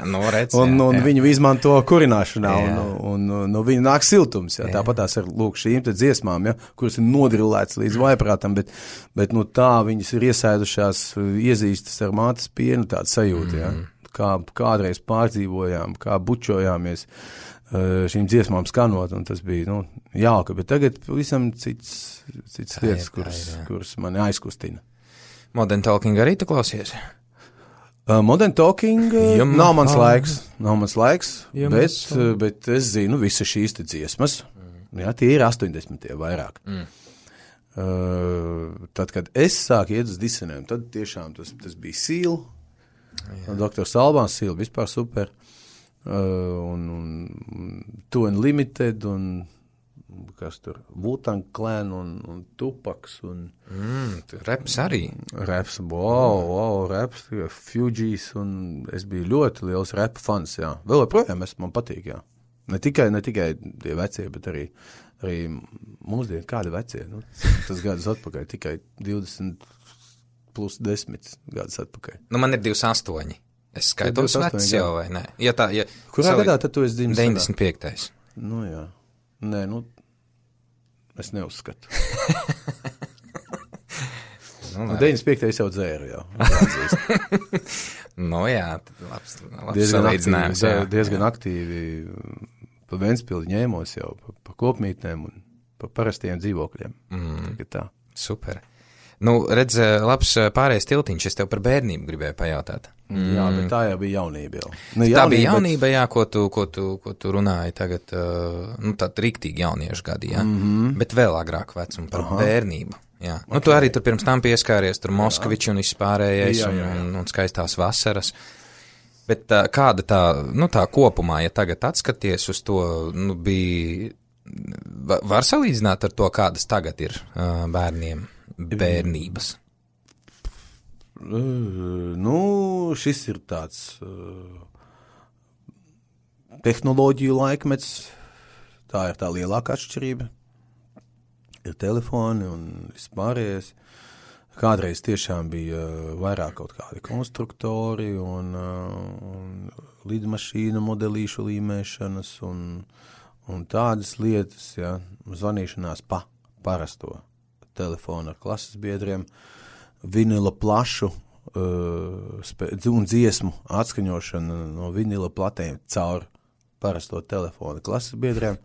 no, redz, un jā, un jā. viņu izmanto kurināšanā, jā. un, un, un no viņa nāk siltums, jā. jā. Tāpat tās ar lūk šīm te dziesmām, jā, kuras ir nodrillēts līdz vaiprātam, bet, bet nu tā viņas ir iesēdušās, iezīstas ar mātes pienu tādu sajūtu, jā. Kā kādreiz pārdzīvojām, kā bučojāmies šīm dziesmām skanot, un tas bija, nu, jauka, bet tagad visam cits, cits lietas, kuras, kuras mani aizkustina. Modern Talking arī tu klausies? Uh, Modern Talking uh, nav mans laiks, nav mans laiks, bet, uh, bet es zinu visas šīs te dziesmas, mm. jā, tie ir astoņdesmitie vairāk. Mm. Uh, tad, kad es sāku iet uz disenēm, tad tiešām tas, tas bija Seal, doktors Albāns, Seal vispār super. Uh, un, un Two Unlimited un kas tur, Wu-Tang Clan un, un Tupaks un mm, reps arī reps, wow, wow, reps, Fugees un es biju ļoti liels rap fans, jā, vēl joprojām es, man patīk, jā, ne tikai, ne tikai tie vecie, bet arī, arī mūsdien, kādi vecie, nu, tas gadus atpakaļ, tikai divdesmit plus desmit gadus atpakaļ. Nu, man ir divdesmit astoņi. Es skaitos vecs jau, vai ne? Ja tā, ja, kurā savi, gadā tad tu esi dzimis? deviņdesmit piektais. Nu jā. Nē, nu, es neuzskatu. nu, deviņdesmit piektais jau dzēru jau. nu jā, labs, labs diezgan salīdzinājums. Aktīvi, jā, diezgan jā. aktīvi pa Ventspildi ņēmos jau, pa, pa kopmītnēm un pa parastiem dzīvokļiem. Mm. Tā. Super. Nu, redz, labs pārējais tiltiņš, es tev par bērnību gribēju pajautāt. Mm. Jā, bet tā jau bija jaunība jau. Nu, jaunība, tā bija jaunība, bet... jā, ko tu, ko tu, ko tu runāji tagad, uh, nu, tād riktīgi jauniešu gadi, jā, mm-hmm. bet vēl agrāk vecumu par Aha. bērnību, jā. Okay. Nu, tu arī tur pirms tam pieskāries, tur Moskviči un vispārējais jā, jā, jā. Un, un skaistās vasaras. Bet uh, kāda tā, nu, tā kopumā, ja tagad atskaties uz to, nu, bija, var salīdzināt ar to, kādas tagad ir uh, bērniem? Bērnības? Uh, nu, šis ir tāds uh, tehnoloģiju laikmets, tā ir tā lielākā atšķirība. Ir telefoni un vispārējais. Kādreiz tiešām bija uh, vairāk kaut kādi konstruktori un, uh, un lidmašīnu modelīšu līmēšanas un, un tādas lietas, ja, zvanīšanās pa parasto telefonu ar klases biedriem, vinila plašu uh, spē, un dziesmu atskaņošana no vinila platēm caur parasto telefonu klases biedriem.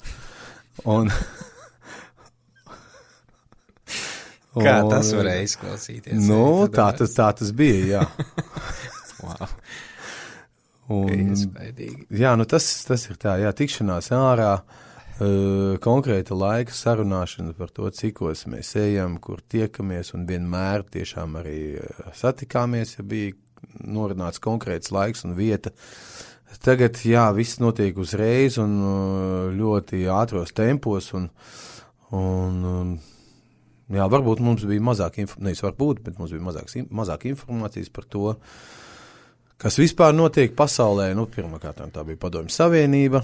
Un, Kā un, tas varēja izklausīties? Nu, tā tas, tā tas bija, jā. wow. Un, jā, nu tas, tas ir tā, jā, tikšanās ārā, Uh, konkrēta laika sarunāšana par to, cikos mēs ejam, kur tiekamies un vienmēr tiešām arī uh, satikāmies, ja bija norunāts konkrēts laiks un vieta. Tagad, jā, viss notiek uzreiz un uh, ļoti ātros tempos un, un um, jā, varbūt mums bija mazāk, inf- nevis varbūt, bet mums bija mazāk, mazāk informācijas par to, kas vispār notiek pasaulē. Nu, pirmkārt, tā bija Padomju Savienība.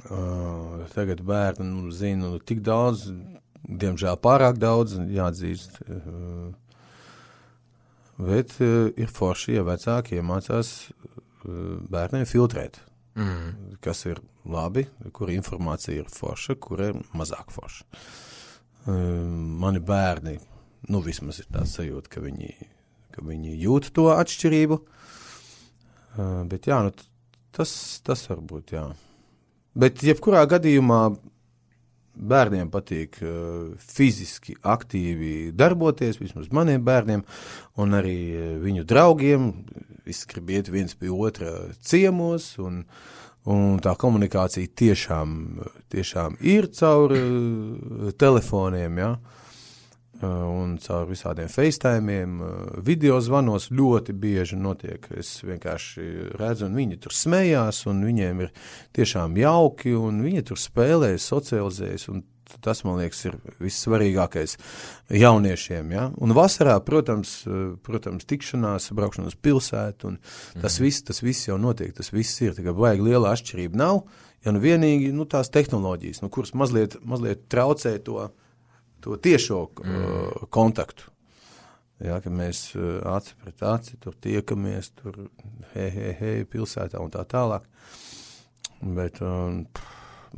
Uh, tagad bērni nu, zina nu, tik daudz, diemžēl pārāk daudz, jāatzīst. Uh, bet uh, ir forši, ja vecāki iemācās uh, bērniem filtrēt, mm. kas ir labi, kur informācija ir forša, kur ir mazāk forša. Uh, mani bērni, nu vismaz ir tā sajūta, ka viņi, ka viņi jūt to atšķirību. Uh, bet jā, nu, tas, tas varbūt, jā. Bet jebkurā gadījumā bērniem patīk uh, fiziski aktīvi darboties, vismaz maniem bērniem, un arī viņu draugiem. Visi grib iet viens pie otra ciemos, un, un tā komunikācija tiešām, tiešām ir caur uh, telefoniem, ja? Un caur visādiem FaceTime'iem, video zvanos ļoti bieži notiek. Es vienkārši redzu, un viņi tur smējās, un viņiem ir tiešām jauki, un viņi tur spēlējas, socializējas, un tas, man liekas, ir vissvarīgākais jauniešiem. Ja? Un vasarā, protams, protams, tikšanās, braukšana uz pilsētu, un tas mm. viss, tas viss jau notiek, tas viss ir, tikai vajag liela atšķirība nav, ja nu vienīgi, nu tās tehnoloģijas, nu kuras mazliet, mazliet traucē to, to tiešo mm. uh, kontaktu. Jā, ka mēs uh, aci pret aci, tur tiekamies, tur hei, hei, hei, pilsētā un tā tālāk. Bet, um,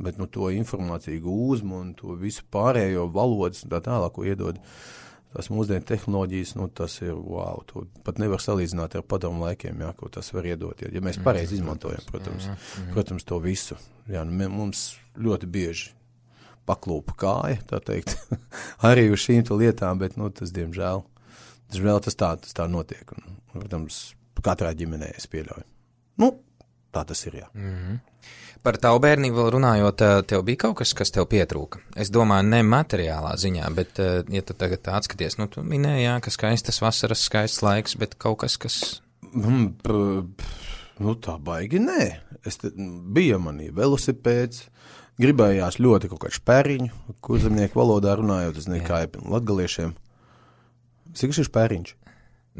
bet nu, to informāciju gūzmu un to visu pārējo valodas un tā tālāk, ko iedod tās mūsdienu tehnoloģijas, nu tas ir wow, to pat nevar salīdzināt ar padomu laikiem, jā, ko tas var iedot. Ja, ja mēs pareizi izmantojam, protams, protams, to visu. Jā, nu, mums ļoti bieži paklūpa kāja, tā teikt, arī uz šīm lietām, bet, nu, tas, diemžēl, diemžēl tas tā, tas tā notiek. Un, protams, katrā ģimenē es pieļauju. Nu, tā tas ir, jā. Mm-hmm. Par tavu bērnību vēl runājot, tev bija kaut kas, kas tev pietrūka? Es domāju, ne materiālā ziņā, bet, ja tu tagad atskaties, nu, tu minēji, jā, ka skaistas vasaras, skaists laiks, bet kaut kas, kas... Mm, pr, nu, tā baigi, nē. Es te, bija manī velosipēds, gribējās ļoti kaut kādu špēriņu, kur zemnieku valodā runājot, es nezinu, kā ir latgaliešiem. Cik ir špēriņš?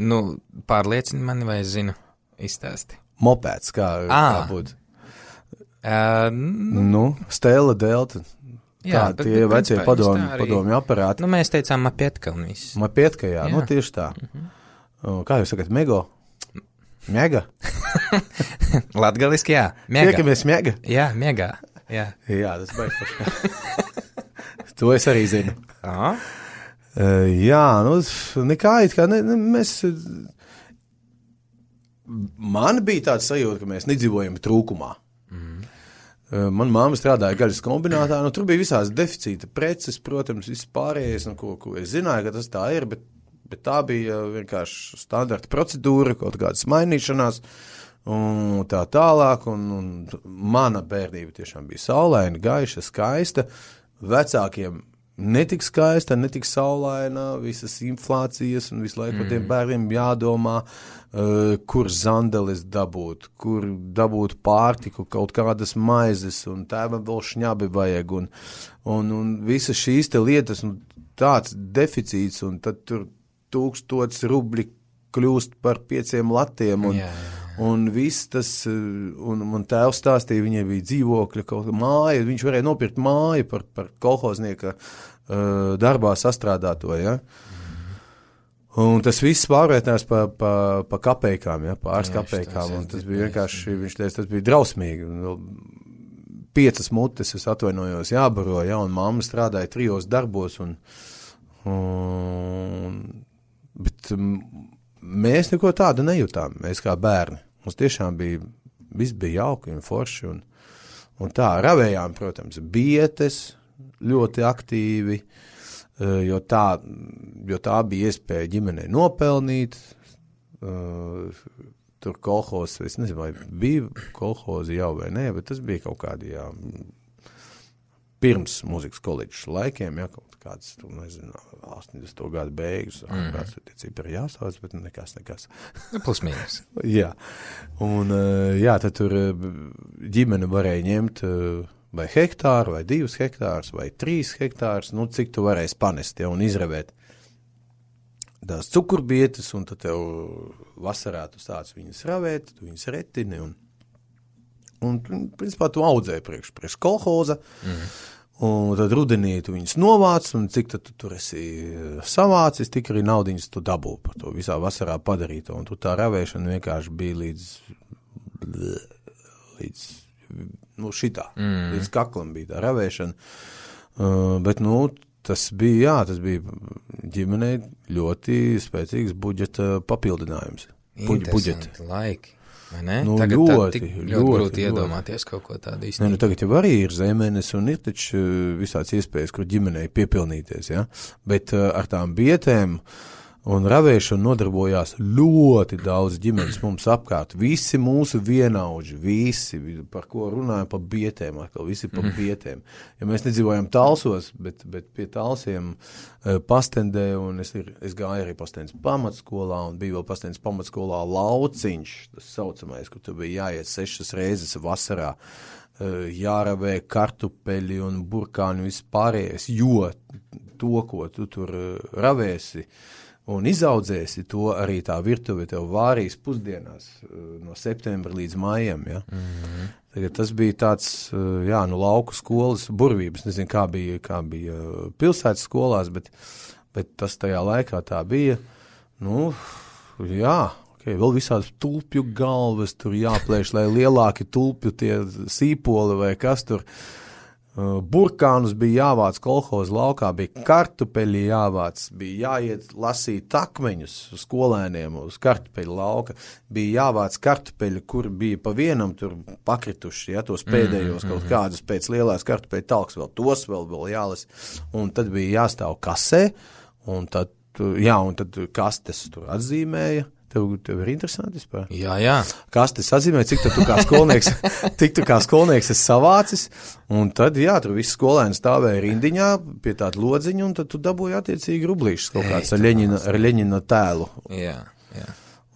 Nu, pārliecini mani, vai es zinu, izstāsti. Mopēds, kā, kā būtu. Uh, nu, nu, Stēla, Delta, jā, tā, bet, tie bet, vecie principā, padomi, arī, padomi aparāti. Nu, mēs teicām mapietka un viss. Mapietka, jā, jā, nu tieši tā. Uh-huh. Kā jūs sakat, mego? Mega? Latgaliski, jā, mega. Tiekamies mega? Jā, mega. Jā, jā tas baigs. To es arī zinu. Aha. Uh, jā, nu, nekā it kā, ne, ne, mēs, man bija tāds sajūta, ka mēs nedzīvojam trūkumā. Mm. Uh, man mamma strādāja gaļas kombinātā, nu, tur bija visās deficīta preces, protams, viss pārējais, nu, ko, ko es zināju, ka tas tā ir, bet, bet tā bija vienkārši standarta procedūra, kaut kādas mainīšanās, un tā tālāk, un, un mana bērnība tiešām bija saulaina, gaiša, skaista, vecākiem netik skaista, netik saulaina, visas inflācijas, un visu laiku mm. tiem bērniem jādomā, uh, kur zandeles dabūt, kur dabūt pārtiku, kaut kādas maizes, un tēvam vēl šņabi vajag, un, un, un visas šīs te lietas, un tāds deficīts, un tad tur tūkstots rubļi kļūst par pieciem latiem, un, yeah. un viss tas, un man tēvs stāstīja, viņai bija dzīvokļa, kaut kā māja, viņš varēja nopirkt māju par, par kolhoznieka uh, darbā sastrādāto, ja. Un tas viss pārvērtās pa, pa, pa kapeikām, ja, pāris Jā, kapeikām, un tas bija vienkārši, viņš teica, tas bija drausmīgi. Piecas mutes, es atvainojos, jābaro, ja, un mamma strādāja trijos darbos, un, un bet mēs neko tādu nejūtām, mēs kā bērni. Mums tiešām bija, viss bija jauki un forši, un, un tā ravējām, protams, bietes ļoti aktīvi, jo tā, jo tā bija iespēja ģimenei nopelnīt, tur kolhoz, es nezinu, vai bija kolhozi jau vai nē, bet tas bija kaut kādi, jā, pirms mūzikas koledžas laikiem, jā, kaut kāds, tu nezinu, astoņdesmito gadu beigas, mm. kāds tie cipari jāsauc, bet nekas, nekas. Plus mīnus. jā, un jā, tad tur ģimene varēja ņemt vai hektāru, vai divus hektārus, vai trīs hektārus, nu, cik tu varēsi panest, ja, un izravēt tās cukurbietes, un tad tev vasarā tu sāc viņas ravēt, tu viņas retini, un, un principā tu audzē priekš, priekš kolhoza, mm. un tad rudenī tu viņas novāc, un cik tad tu tur esi savācis, tik arī naudiņas tu dabū par to visā vasarā padarīto, un tu tā ravēšana vienkārši bija līdz, līdz nu, šitā, mm. līdz kaklam bija tā ravēšana, uh, bet, nu, tas bija, jā, tas bija ģimenei ļoti spēcīgs budžeta papildinājums. Interesanti laiki. Nu, tagad ļoti, tā, ļoti, ļoti grūti iedomāties kaut ko tādu īstenībā. Ne, nu, tagad jau arī ir zemenes un ir taču visāds iespējas, kur ģimenei piepilnīties, ja? Bet uh, ar tām bietēm un ravēšanu nodarbojās ļoti daudz ģimenes mums apkārt. Visi mūsu vienaudži, visi, par ko runājam, par bietēm, atkal visi par bietēm. Ja mēs nedzīvojam Talsos, bet, bet pie Talsiem uh, Pastendē, un es, ir, es gāju arī Pastendes pamatskolā, un bija vēl Pastendes pamatskolā Lauciņš, tas saucamais, kur tu bija jāiet sešas reizes vasarā, uh, jāravē kartupeļi un burkāni vispārējais, jo to, ko tu tur uh, ravēsi, un izaudzēsi, to arī tā virtuve tev vārīs pusdienās no septembra līdz maijam, ja? Mm-hmm. Tagad tas bija tāds, jā, nu lauku skolas burvības, nezinu, kā bija, kā bija pilsētas skolās, bet, bet tas tajā laikā tā bija, nu, jā, okay, vēl visādas tulpju galvas tur jāplēš, lai lielāki tulpju tie sīpoli vai kas tur. Burkānus bija jāvāc kolhoza laukā, bija kartupeļi jāvāc, bija jāiet lasīt takmeņus skolēniem uz kartupeļu lauka, bija jāvāc kartupeļi, kur bija pa vienam tur pakrituši, ja, tos pēdējos kaut kādus pēc lielās kartupeļu talks, vēl tos vēl, vēl jālas, un tad bija jāstāv kasē, un tad, jā, un tad kastes tur atzīmēja. Tev, tev ir interesanti vispār? Jā, jā. Kas tas atzīmē, cik tu kā skolnieks, cik tu kā skolnieks esi savācis, un tad, jā, tur visi skolēni stāvēja rindiņā pie tāda lodziņa, un tad tu dabūji attiecīgi rublīšus kaut kāds ar Ļeņina, ar Ļeņina tēlu. Jā, jā.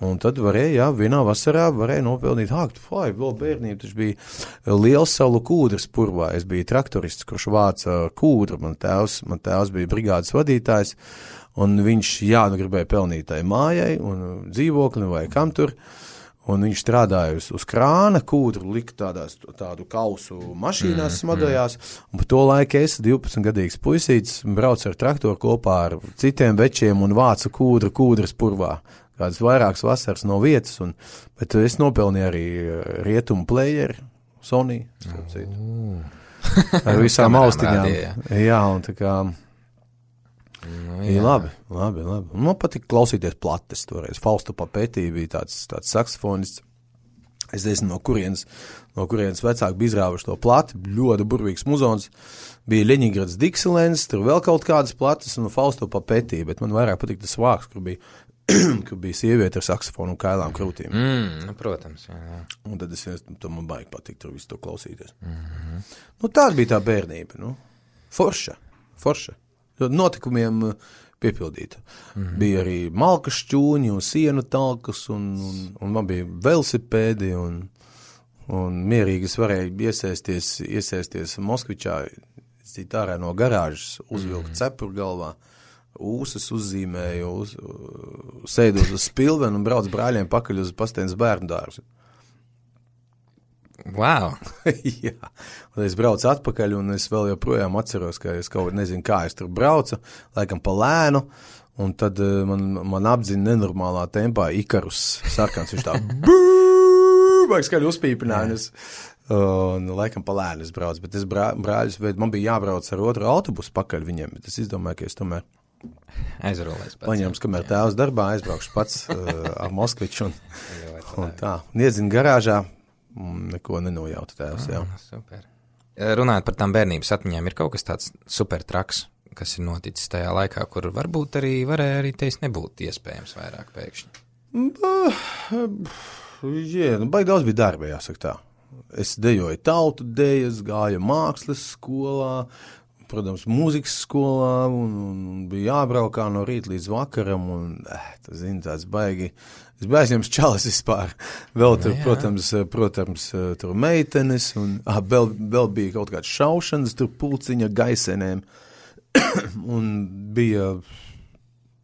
Un tad varēja, jā, vienā vasarā varēja nopelnīt, hāk, fai, vēl bērnība, taču bija liels salu kūdras purvā, es biju traktorists, kurš vāca kūdru, man tēvs, man tēvs bija brigādes vadītājs, un viņš, jā, nu gribēja pelnīt tai mājai un dzīvokli vai kam tur, un viņš strādāja uz, uz krāna, kūdru lika tādās, tādu kausu mašīnās mm, smadojās, mm. un pa to laiku es, divpadsmitgadīgs puisītis, braucu ar traktoru kopā ar citiem večiem un vācu kūdru kūdras purvā. Kādas vairākas vasaras no vietas, un, bet es nopelnīju arī rietumu playeri, Sony, uh. ar visām austiņām. Jā. jā, un tā kā, nu, jā. labi, labi, labi. Man patika klausīties plates toreiz. Faustu Papetī bija tāds, tāds saksofonists. Es nezinu, no kurienes, no kurienes vecāki bija izrāvuši to plati, ļoti burvīgs muzons. Bija Ļeņingrads Dixielands, tur vēl kaut kādas plates, un Faustu Papetī, bet man vairāk patika tas vārks, kur bija kur bija sieviete ar saksofonu un kailām krūtīm. Mm, nu, protams, jā, jā. Un tad es, to man baigi patīk tur visu to klausīties. Mm-hmm. Nu, tāda bija tā bērnība, nu. Forša, forša. Notikumiem piepildīta. Mm-hmm. Bija arī malkas šķūņi un sienu talkas, un, un, un man bija velosipēdi, un, un mierīgi es varēju iesēsties, iesēsties Moskvičā, cīt ārā no garāžas, uzvilkt mm-hmm. cepuru galvā, ūsas uzzīmēju, uz, sēdu uz spilvenu un brauc brāļiem pakaļ uz Pastendes bērnu dārzu. Wow! Jā, un es braucu atpakaļ, un es vēl joprojām atceros, ka es kaut nezinu, kā es tur braucu, laikam pa lēnu, un tad man, man apdzina nenormālā tempā Ikarus sarkans, viņš tā bū, vajag skaļi uzpīpināja, un es, un laikam pa lēnu es braucu, bet es brā, brāļus, bet man bija jābrauc ar otru autobusu pakaļ viņiem, bet es izdomāju, ka es tomēr aizrolēs pats. Paņems, kamēr tēvs darbā, aizbraukšu pats uh, ar Moskviču un, un tā. Un iedzinu garāžā, neko nenojautu tēvs, jā. Ah, super. Runājot par tām bērnības atmiņām, ir kaut kas tāds super traks, kas ir noticis tajā laikā, kur varbūt arī varēja arī teis nebūt iespējams vairāk pēkšņi? Jā, nu, baigi daudz bija darba, jāsaka tā. Es dejoju tautu dejas, gāju mākslas skolā, protams, mūzikas skolā, un, un bija jābraukā no rīta līdz vakaram, un, eh, tas, zini, tāds baigi, es biju aizņems čalis vispār, vēl tur, no, protams, protams, tur meitenes, un, ah, vēl, vēl bija kaut kāds šaušanas, tur pulciņa gaisenēm, un bija,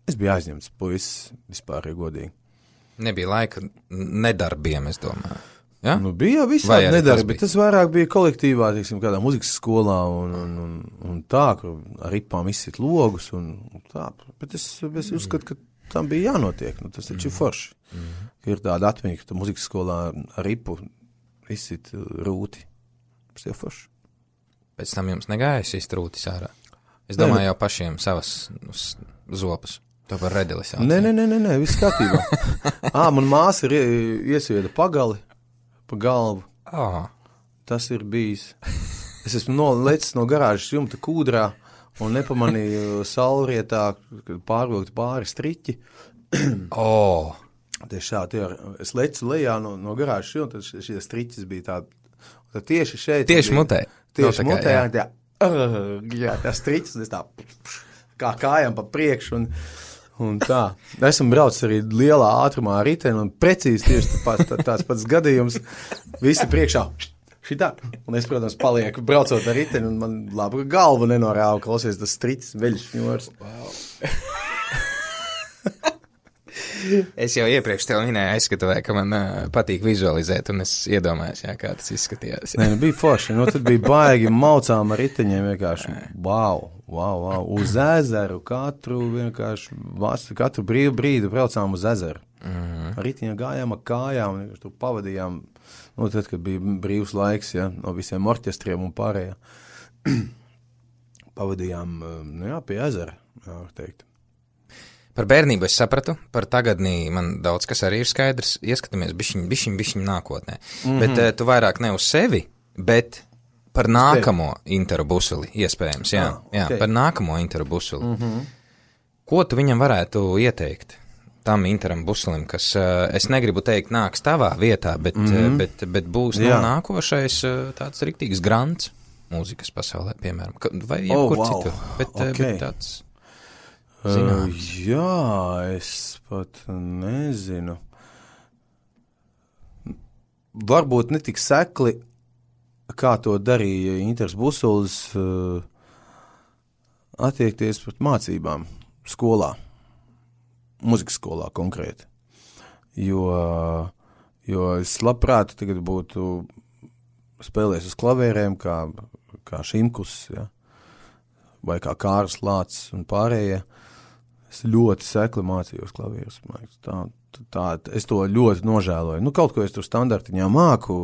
es biju aizņemts puisis vispār, ja godīgi. Nebija laika nedarbiem, es domāju. Ja? Nu, bija visādi nedarbi, bet tas vairāk bija kolektīvā, teiksim, kādā muzikas skolā un, un, un, un tā, kur ar ripām izsit logus un, un tā, bet es, es uzskatu, ka tam bija jānotiek, nu, tas taču ir forši, mm-hmm. ka ir tāda atmiņa, ka tu muzikas skolā ar ripu izsit rūti, tas ir forši. Pēc tam jums negājas izst rūtis ārā? Es domāju, jau pašiem savas zopus. To par redeli sauc. Nē, nē, nē, nē, nē viss kārtībā. Ā, man māsa ir iesvieda pagali pa galvu. Oh. Tas ir bijis. Es esmu nolecis no garāžas jumta kūdrā un nepamanīju saulrietā, kad pārvilkt pāri striķi. Oh. Tieši šādi, es lecu lejā no, no garāžas jumta, tad šie striķis bija tādi. Tad tieši šeit. Tieši bija, mutē. Tieši no, mutē, jā. Tā, uh, jā, tā striķis, un es tā kā kājām pa priekšu un, un tā. Esmu braucis arī lielā ātrumā riteni un precīzi tieši tā, tā, tāds pats gadījums. Visi priekšā. Šitā. Un es, protams, palieku braucot ar riteni, un man labu galvu nenorāva, klausies tas striķis, veļš ņors. Wow. Es jau iepriekš tev minēju aizskatuvē, ka man uh, patīk vizualizēt, un es iedomājos, jā, kā tas izskatījās. Nē, nu bija forši. Nu, tad bija baigi maucām ar riteņiem vienkārši. Wow, wow, wow. Uz ezeru katru vienkārši, katru brīvu brīdi braucām uz ezeru. Mm-hmm. Ar riteņiem gājām ar kājām, tur pavadījām, nu, tad, kad bija brīvs laiks, ja, no visiem orķestriem un pārējā. Pavadījām, nu jā, pie ezera, jā, var teikt. Par bērnību es sapratu, par tagadnī man daudz kas arī ir skaidrs, ieskatāmies bišķiņ, bišķiņ, bišķiņ nākotnē. Mm-hmm. Bet uh, tu vairāk ne uz sevi, bet par nākamo interobusuli, iespējams, jā, ah, okay. jā, par nākamo interobusuli. Mm-hmm. Ko tu viņam varētu ieteikt, tam interobusulim, kas, uh, es negribu teikt, nāks tavā vietā, bet, mm-hmm. uh, bet, bet būs no nākošais uh, tāds riktīgs grants mūzikas pasaulē, piemēram, vai jebkur oh, wow. citur, bet, okay. uh, bet tāds... Uh, jā, es pat nezinu. Varbūt ne tik sekli, kā to darīja Inters Busulis, uh, attiekties pret mācībām skolā, muzikas skolā konkrēti. Jo, jo es labprāt tagad būtu spēlējis uz klavierēm, kā, kā Šimkus, ja? Vai kā Kārs Lācis un pārējie. Es ļoti sekli mācījos klavierus. Tā, tā, es to ļoti nožēloju. Nu, kaut ko es tur standartiņā māku,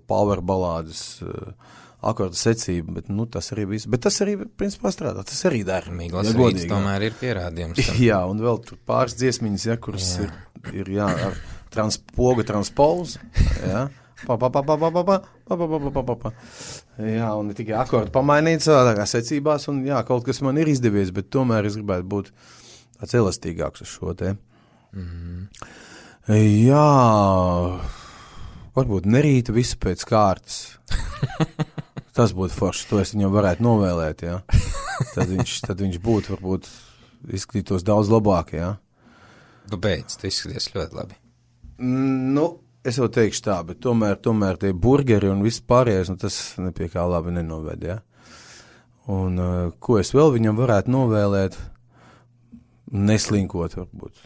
power balādes, akordu secību, bet nu, tas arī viss. Bet tas arī, principā, strādā. Tas arī dara. Mīglas ja rīts tomēr ir pierādījums. Tam. Jā, un vēl tur pāris dziesmiņas, ja, kuras jā. ir, ir jā, ar trans, poga transpose, jā. Pa, pa, pa, pa, pa, pa, pa, pa, pa, pa, pa, pa, pa. Jā, un ne tikai akordu pamainīt savādākā secībās, un jā, kaut kas man ir izdevies, bet tomēr es gribētu būt tāds elastīgāks uz šo te. Mm-hmm. Jā, varbūt nerīta visu pēc kārtas. Tas būtu forši, to es viņam varētu novēlēt, jā. Tad viņš, tad viņš būtu, varbūt, izskatītos daudz labāk, jā. Nu beidz, tu izskaties ļoti labi. Nu, es jau teikšu tā, bet tomēr, tomēr tie burgeri un viss pārējais, nu tas nepie kā labi nenoved, ja? Un uh, ko es vēl viņam varētu novēlēt? Neslinkot, varbūt.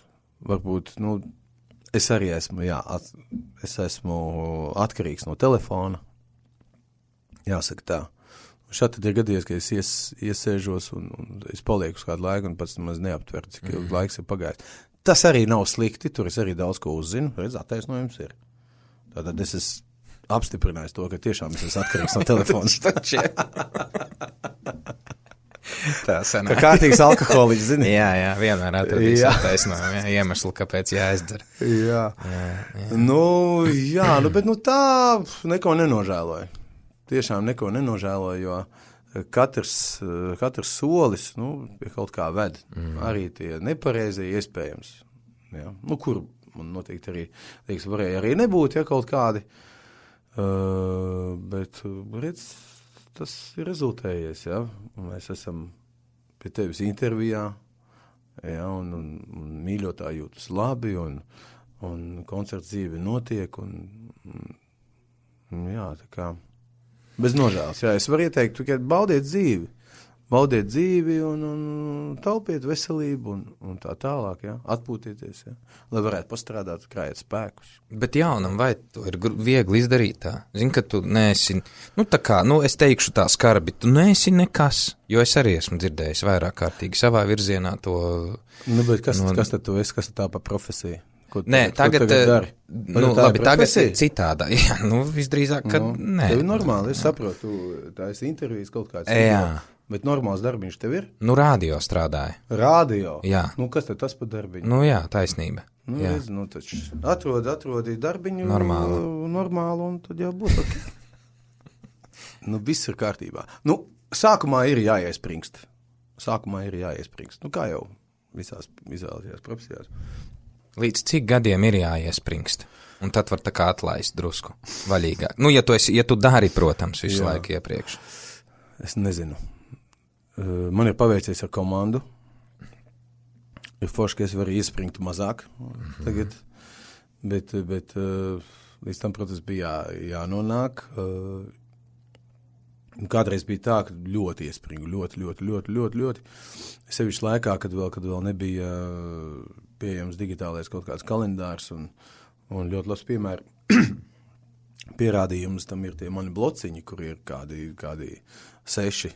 Varbūt, nu, es arī esmu, jā, at, es esmu atkarīgs no telefona. Jāsaka tā. Un šādi tad ir gadījies, ka es ies, iesēžos un, un es palieku uz kādu laiku un pats maz neaptveru, cik ilgi mm. laiks ir pagājis. Tas arī nav slikti, tur es arī daudz ko uzzinu, redz, attaisnojums ir. Tātad es esmu apstiprinājis to, ka tiešām es esmu atkarīgs no telefona. Tā sanāk. Kā kārtīgs alkoholiķis, zini? Jā, jā, vienmēr atradīs attaisnojumu, jā, iemeslu, kāpēc jāizdara. Jā. Jā, jā. Nu, jā, nu, bet nu tā neko nenožēloju. Tiešām neko nenožēloju, jo katrs, katrs solis, nu, pie kaut kā ved. Mm. Arī tie nepareizie iespējams. Jā. Nu, kur man noteikti arī, liekas, varēja arī nebūt, ja kaut kādi. Uh, bet, redz, tas ir rezultējies, ja. Mēs esam pie tevis intervijā, ja, un, un, un mīļotā jūtas labi, un, un koncerts dzīve notiek, un, un jā, tā kā, bez nožēlas, jā, es varu ieteikt, tikai baudiet dzīvi, baudiet dzīvi un, un taupiet veselību un, un tā tālāk, jā, atpūtieties, jā, lai varētu pastrādāt, krājot spēkus. Bet jaunam, vai to ir viegli izdarīt tā? Zini, ka tu neesi, nu tā kā, nu es teikšu tā skarbi, tu neesi nekas, jo es arī esmu dzirdējis vairāk kārtīgi savā virzienā to... Nu, bet kas, no... kas tad tu esi, kas tad tā pa profesiju? Ko, nē, tagad, tagad dari? Nu, labi, tagad citādā, jā, nu, visdrīzāk, ka no, nē. Tev ir normāli, es saprotu, tā esi intervijas kaut kāds. Jā. Bet normāls darbiņš tev ir? Nu, rādio strādāja. Rādio? Jā. Nu, kas tad tas par darbiņu? Nu, jā, taisnība. Nu, jā. Redz, nu, taču atrodi, atrodi darbiņu. Normālu. Normālu, un tad jau būs ok. Nu, viss ir kārtībā. Nu, sākumā ir jāiespringst. Sākumā ir jāiespringst. Nu, kā jau visās izvēlētajās profesijās. Līdz cik gadiem ir jāiespringst? Un tad var tā kā atlaist drusku vaļīgāk. Nu, ja tu, esi, ja tu dari, protams, visu Jā. laiku iepriekš. Es nezinu. Man ir paveicies ar komandu. Ir forši, ka es varu iespringt mazāk mm-hmm. tagad. Bet, bet līdz tam, protams, bija jā, jānonāk. Kādreiz bija tā, ka ļoti iespringu. Ļoti, ļoti, ļoti, ļoti, ļoti. Sevišķi laikā, kad vēl, kad vēl nebija pieejams digitālais kaut kāds kalendārs un, un ļoti labs piemēri. Pierādījums tam ir tie mani blociņi, kur ir kādi, kādi seši,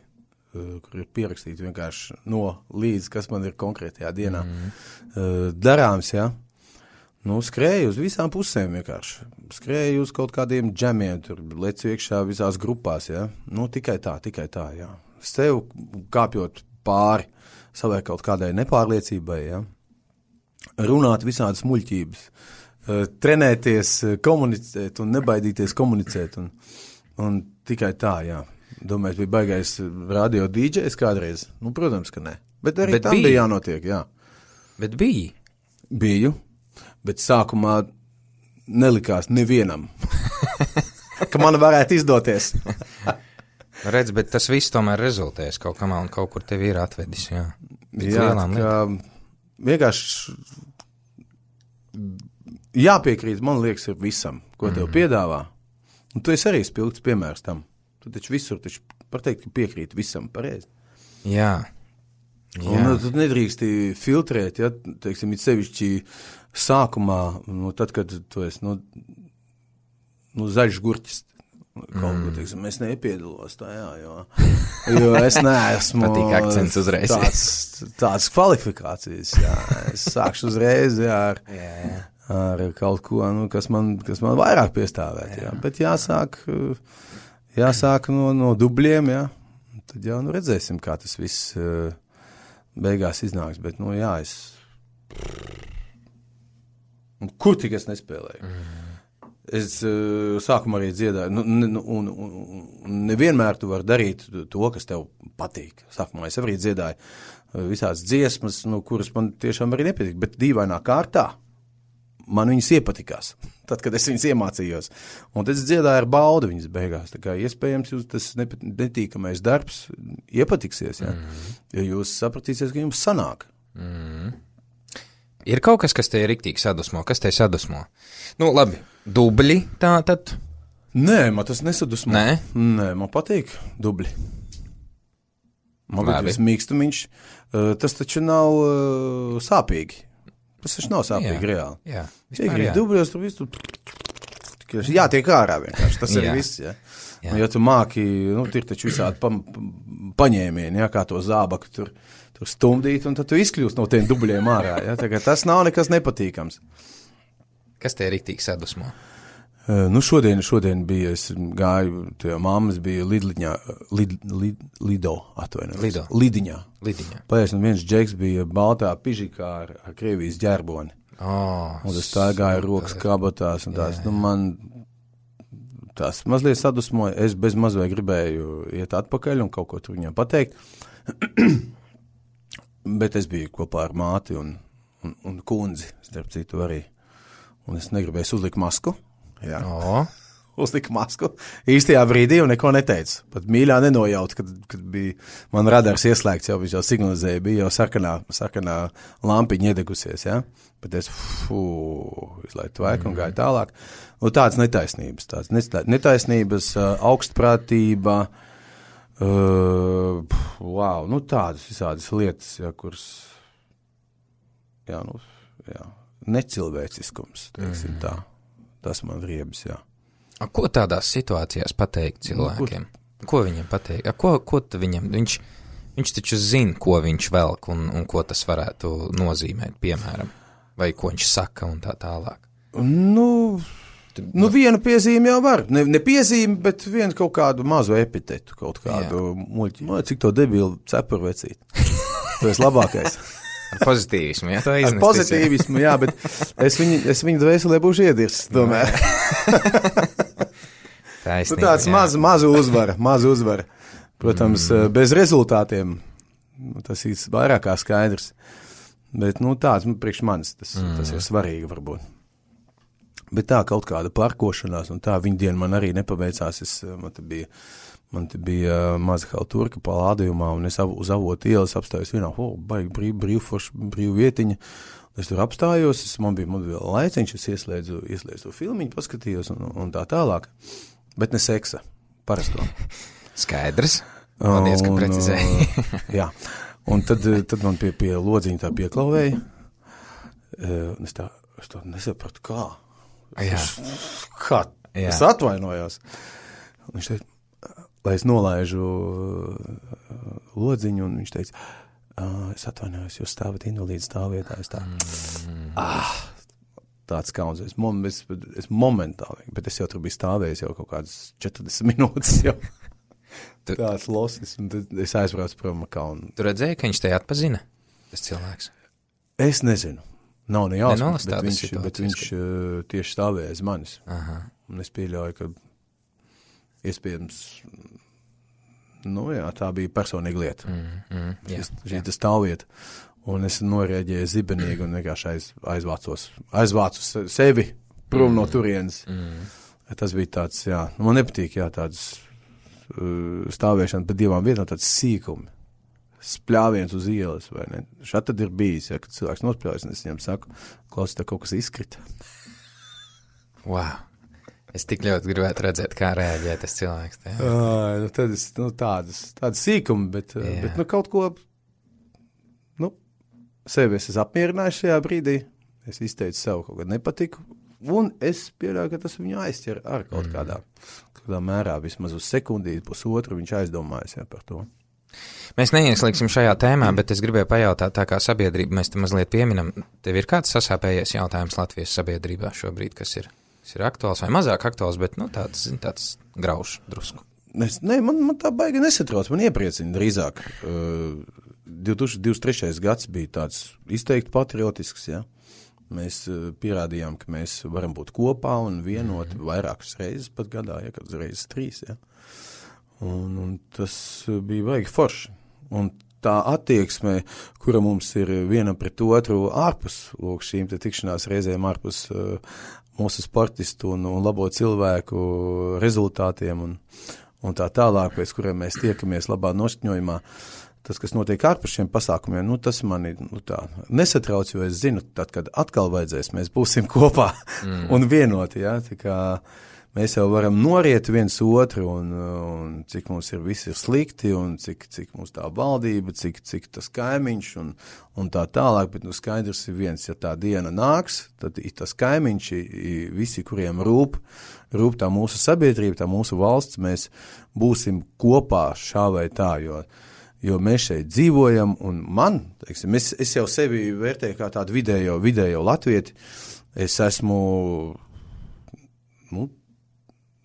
kur ir pierakstīti vienkārši no līdz, kas man ir konkrētajā dienā mm. darāms, jā. Nu, skrēju uz visām pusēm vienkārši. Skrēju uz kaut kādiem džemiem, tur lec iekšā visās grupās, jā. Nu, tikai tā, tikai tā, jā. Sev kāpjot pāri savai kaut kādai nepārliecībai, jā. Runāt visādas muļķības, trenēties, komunicēt un nebaidīties komunicēt. Un, un tikai tā, jā. Domāju, bija baigais radio dīdžejs kādreiz. Nu, protams, ka ne. Bet arī Bet tam bija. bija jānotiek, jā. Bet bija? Biju, bet sākumā nelikās nevienam, ka man varētu izdoties. Redz, bet tas viss tomēr rezultēs kaut kamā un kaut kur tevi ir atvedis, jā. Jā, tā vienkārši jāpiekrīt, man liekas, ir visam, ko tev mm. piedāvā. Un tu esi arī spilgts piemērs tam. Tu taču visur taču pateikt, ka piekrīt visam pareizi. Jā. Jā. Un tu nedrīksti filtrēt, ja, teiksim, it sevišķi sākumā, nu, tad, kad tu esi, nu, nu zaļš gurķis, kaut mm. ko, teiksim, es nepiedalos tajā, jo, jo es neesmu Patīk akcents uzreiz. Tāds, tāds kvalifikācijas, jā, es sākšu uzreiz, jā, ar, jā. ar kaut ko, nu, kas man, kas man vairāk piestāvēt, jā, jā. Bet jāsāk, jāsāk no, no dubļiem, jā, tad jau, nu, redzēsim, kā tas viss beigās iznāks, bet, nu, jā, es kur tik es nespēlēju. Mm. Es uh, sākumā arī dziedāju, nu, nu, un, un, un nevienmēr tu vari darīt to, kas tev patīk. Sākumā es arī dziedāju visādas dziesmas, nu, kuras man tiešām arī nepatīk, bet dīvainā kārtā man viņas iepatikās, tad, kad es viņas iemācījos. Un tad es dziedāju ar baudu viņas beigās. Tā kā iespējams jūs tas netīkamais darbs iepatiksies, ja, mm. ja jūs sapratīsies, ka jums sanāk. Mm. Ir kaut kas, kas te ir riktīgi sadusmo? Kas te sadusmo? Nu, labi, dubļi tā tad? Nē, man tas nesadusmo. Nē? Nē, man patīk dubļi. Man patīk mīkstumiņš. Uh, tas taču nav uh, sāpīgi. Tas taču nav sāpīgi jā. reāli. Jā, vispār jā. Dubļos tur visu tur... Jā, tiek ārā vienkārši. Tas ir viss, jā. jā. Un, ja tu māki, nu, ir taču visādi pa, paņēmieni, jā, kā to zābaku tur. Tur stumdīt, un tad tu izkļūst no tiem dubļiem ārā. Ja? Tagad tas nav nekas nepatīkams. Kas te riktīgi sadusmo? Uh, nu, šodien, šodien bija, es gāju, tie mammas bija Lidliņā, lid, lid, Lido, atvainojos. Lido. Lidiņā. Lidiņā. Pēc, un viens džeks bija baltā pižikā ar, ar Krievijas ģerboni. Oh, un tas tā gāja rokas kabatās, un tās, jā, jā. nu, man tās mazliet sadusmoja. Es bez mazliet gribēju iet atpakaļ un kaut ko tur viņam pateikt. Bet es biju kopā ar māti un, un, un kundzi, starp citu arī. Un es negribēju uzlikt masku. Jā. Oh. Uzliku masku īstajā brīdī un neko neteicu. Pat mīļā nenojaut, kad, kad bija man radars ieslēgts, jau viņš jau signalizēja, bija jau sarkanā, sarkanā lampiņa iedegusies, jā. Bet es, fū, izlaidu tvaiku mm. un gāju tālāk. Un tāds netaisnības, tāds netaisnības, augstprātība, Uh, wow, nu tādas visādas lietas, ja, kuras, jā, nu, jā, necilvēciskums, teiksim mm. tā, tas man riebas, jā. A, ko tādās situācijās pateikt cilvēkiem? Nu, ko, ko viņam pateikt? A, ko, ko viņam, viņš, viņš taču zina, ko viņš velk un, un ko tas varētu nozīmēt, piemēram, vai ko viņš saka un tā tālāk. Nu... Tu... Nu, vienu piezīmi jau var. Ne, ne piezīmi, bet vienu kaut kādu mazu epitetu, kaut kādu muļķi. No, cik to debilu cepuru vecīt. Tu esi labākais. Ar pozitīvismu, jā, to iznest. Ar pozitīvismu, jā, bet es viņu, es viņu dvēselē būšu iedirsts, tomēr. Taisnība, nu, tāds maz, mazu uzvara, mazu uzvara. Protams, mm. bez rezultātiem, tas ir vairāk kā skaidrs. Bet, nu, tāds, priekš manis, tas, mm. tas ir svarīgi varbūt. Bet tā kaut kāda parkošanās, un tā viņa diena man arī nepaveicās. Es, man te bija, man te bija maza halturka palādījumā, un es uz Avotu ielas apstājos vienā, oh, baigi brīv, brīv, forš, brīv vietiņa. Es tur apstājos, es, man bija, man bija laiciņš, es ieslēdzu, ieslēdzu to filmiņu, paskatījos, un, un tā tālāk. Bet ne seksa, parasto. Skaidrs. Paldies, ka precizēji. Jā, un tad, tad man pie, pie lodziņa tā pieklauvēja. Es tā, es tā nesapratu, kā. Jā. Kā? Jā. Es atvainojos. Viņš teica, lai es nolaižu lodziņu, un viņš teica, es atvainojos, jūs stāvat invalīdu stāvvietā. Es tā, mm. ah, tāds kauns. Es, es, es momentāli, bet es jau tur biju stāvējis jau kaut kādas četrdesmit minūtes jau. Tu... Tāds losis, un tad es aizbraucu prom kaunu. Tu redzēji, ka viņš te atpazina, tas cilvēks? Es nezinu. Nav ne jāsmas, bet viņš, bet viņš uh, tieši stāvēja aiz manis. Aha. Un es pieļauju, ka iespējams, nu jā, tā bija personīga lieta. Mm, mm, jā, šī tā stāvvieta. Un es norēģēju zibenīgi un vienkārši aiz, aizvācos, aizvācu sevi prom mm, no turienes. Mm. Tas bija tāds, jā, man nepatīk, jā, tāds uh, stāvēšana pa divām vietām, tāds sīkumi. Spļāviens uz ielas, vai ne? Šā tad ir bijis, ja, kad cilvēks nospļājas, un es viņam saku, klausi, tā kaut kas izkrita. Wow. Es tik ļoti gribētu redzēt, kā reaģē tas cilvēks. Tā, uh, nu, tad es, nu, tādas, tādas sīkumi, bet, yeah. bet, nu, kaut ko, nu, sevi es esmu apmierinājuši šajā brīdī, es izteicu sev kaut kad nepatiku, un es pieļauju, ka tas viņu aizķer ar kaut kādā, kādā mērā, vismaz uz sekundīti, pusotru, viņš aizdomājas, jā, par to. Mēs neieslīgsim šajā tēmā, bet es gribēju pajautāt, tā kā sabiedrība, mēs te mazliet pieminam, tev ir kāds sasāpējies jautājums Latvijas sabiedrībā šobrīd, kas ir, kas ir aktuāls vai mazāk aktuāls, bet, nu, tāds, zin, tāds grauš drusku. Es, ne, man, man tā baigi nesatrauc, man iepriecina drīzāk. Uh, divi tūkstoši divdesmit trešais gads bija tāds izteikti patriotisks, jā. Mēs uh, pierādījām, ka mēs varam būt kopā un vienot mm-hmm. vairākas reizes pat gadā, ja, kad reizes trīs, jā. Un, un tas bija baigi forši. Un tā attieksme, kura mums ir viena pret otru ārpus, lūk, šīm te tikšanās reizēm ārpus uh, mūsu sportistu un, un labo cilvēku rezultātiem un, un tā tālāk, pēc kuriem mēs tiekamies labā noskaņojumā, tas, kas notiek ārpus šiem pasākumiem, nu, tas mani nu, tā nesatrauc, jo es zinu, tad, kad atkal vajadzēs, mēs būsim kopā mm. un vienoti, jā, tā kā mēs jau varam noriet viens otru, un, un cik mums ir visi ir slikti, un cik, cik mums tā valdība, cik, cik tas kaimiņš, un, un tā tālāk, bet nu skaidrs ir viens, ja tā diena nāks, tad ir tas kaimiņš, ir visi, kuriem rūp, rūp tā mūsu sabiedrība, tā mūsu valsts, mēs būsim kopā šā vai tā, jo, jo mēs šeit dzīvojam, un man, teiksim, es, es jau sevi vērtēju kā tādu vidējo, vidējo latvieti, es esmu, nu,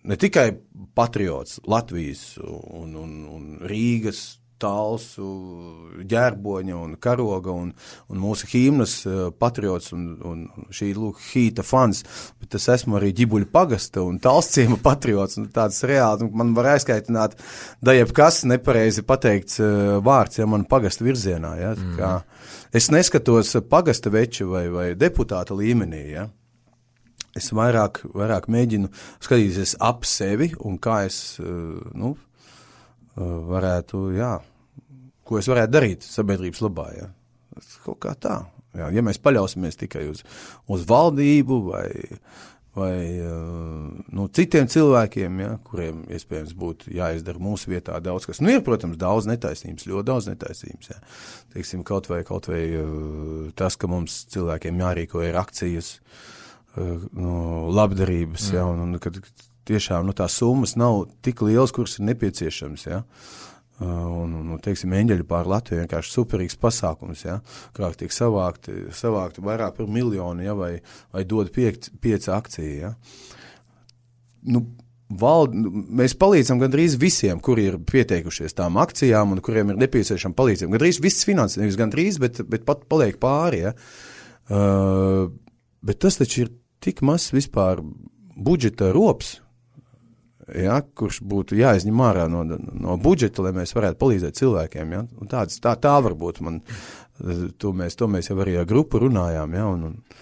ne tikai patriots Latvijas un, un, un Rīgas, Talsu, Ģērboņa un Karoga un, un mūsu hīmnas patriots un, un šī lūk hīta fans, bet es esmu arī Ģibuļu pagasta un Talsciema patriots un tāds reāli, man var aizskaitināt, da jebkas nepareizi pateikts vārds, ja man pagasta virzienā, ja, tā kā es neskatos pagasta veču vai, vai deputāta līmenī, ja. Es vairāk, vairāk mēģinu skatīties ap sevi un kā es, nu, varētu, jā, ko es varētu darīt sabiedrības labā, jā. Kaut kā tā. Jā, ja mēs paļausimies tikai uz, uz valdību vai, vai nu, citiem cilvēkiem, jā, kuriem iespējams būtu jāizdara mūsu vietā daudz kas. Nu, ir, protams, daudz netaisnības, ļoti daudz netaisnības, jā. Teiksim, kaut vai, kaut vai tas, ka mums cilvēkiem jārīko ir akcijas, no labdarības, ja, un, un kad tiešām nu, tās summas nav tik lielas, kuras ir nepieciešams, ja, un, un teiksim, eņģeļu pār Latviju vienkārši superīgs pasākums, ja, kā tiek savākti, savākti vairāk par miljonu, ja, vai, vai dod piec, pieci akcija, ja. nu, Vald, mēs palīdzam gandrīz visiem, kuri ir pieteikušies tām akcijām un kuriem ir nepieciešama palīdzība. Gandrīz viss finanses, nevis gandrīz, bet, bet pat paliek pāri. Ja? Uh, bet tas taču ir tik mazs vispār budžeta rops, ja? Kurš būtu jāizņem ārā no, no budžeta, lai mēs varētu palīdzēt cilvēkiem. Ja? Un tāds, tā, tā varbūt man, to mēs, to mēs jau arī ar grupu runājām, ja? un, un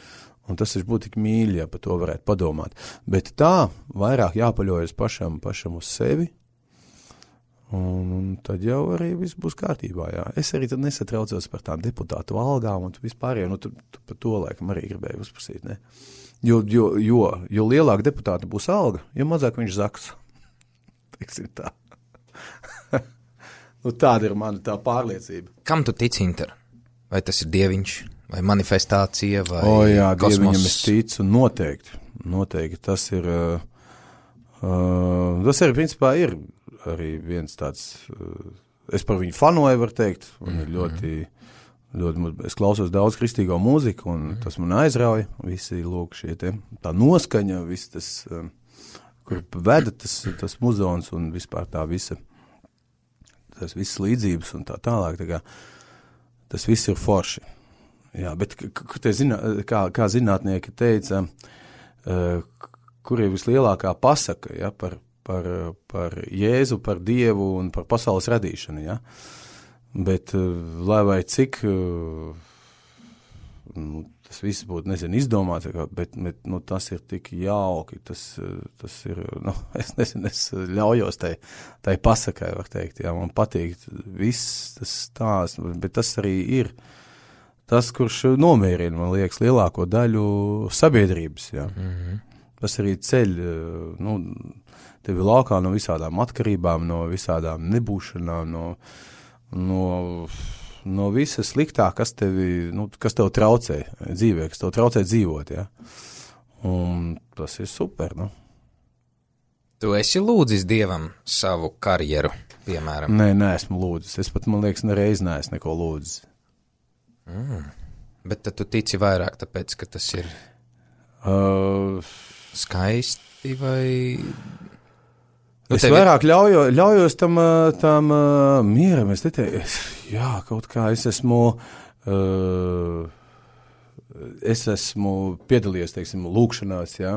Un tas ir būtu tik mīļi, ja par to varētu padomāt. Bet tā vairāk jāpaļojas pašam, pašam uz sevi, un, un tad jau arī viss būs kārtībā. Jā. Es arī tad nesatraucos par tām deputātu algām un vispārējiem, nu tu, tu par to laikam arī gribēju uzprasīt, ne? Jo, jo, jo, jo lielāka deputāta būs alga, jo mazāk viņš zaks. Teiksim tā. Nu tāda ir mana tā pārliecība. Kam tu tici, Inter? Vai tas ir dieviņš? Vai manifestācija, vai o, jā, kosmos? Dieviņam es ticu, noteikti, noteikti, tas ir, uh, uh, tas arī, principā, ir arī viens tāds, uh, es par viņu fanoju, var teikt, un ir ļoti, ļoti, es klausos daudz kristīgo mūziku, un tas man aizrauja, visi, lūk, šie te, tā noskaņa, viss tas, uh, kur veda tas, tas muzons, un vispār tā visa, tas visas līdzības, un tā tālāk, tā kā, tas viss ir forši. Jā, bet zinā, kā, kā zinātnieki teica, uh, kur ir vislielākā pasaka ja, par, par, par Jēzu, par Dievu un par pasaules radīšanu. Ja? Bet uh, lai vai cik uh, nu, tas viss būtu, nezinu, izdomāts, bet, bet nu, tas ir tik jauki, tas, tas ir, nu, es nezinu, es ļaujos tai, tai pasakai, var teikt, jā, man patīk viss tas stāsts, bet tas arī ir tas, kurš nomierina, man liekas, lielāko daļu sabiedrības, jā. Mm-hmm. Tas arī ceļ, nu, tevi laukā no visādām atkarībām, no visādām nebūšanām, no, no, no visa sliktā, kas tevi, nu, kas tev traucē dzīvē, kas tev traucē dzīvot, jā. Un tas ir super, nu. Tu esi lūdzis Dievam savu karjeru, piemēram? Nē, neesmu lūdzis. Es pat, man liekas, nereiz neesmu neko lūdzis. Mm. Bet tad tu tici vairāk, tāpēc, ka tas ir uh, skaisti vai... Nu, es tevi... vairāk ļaujo, ļaujos tam, tam uh, mieram, es neteicu, jā, kaut kā es esmu, uh, es esmu piedalījies, teiksim, lūkšanās, jā,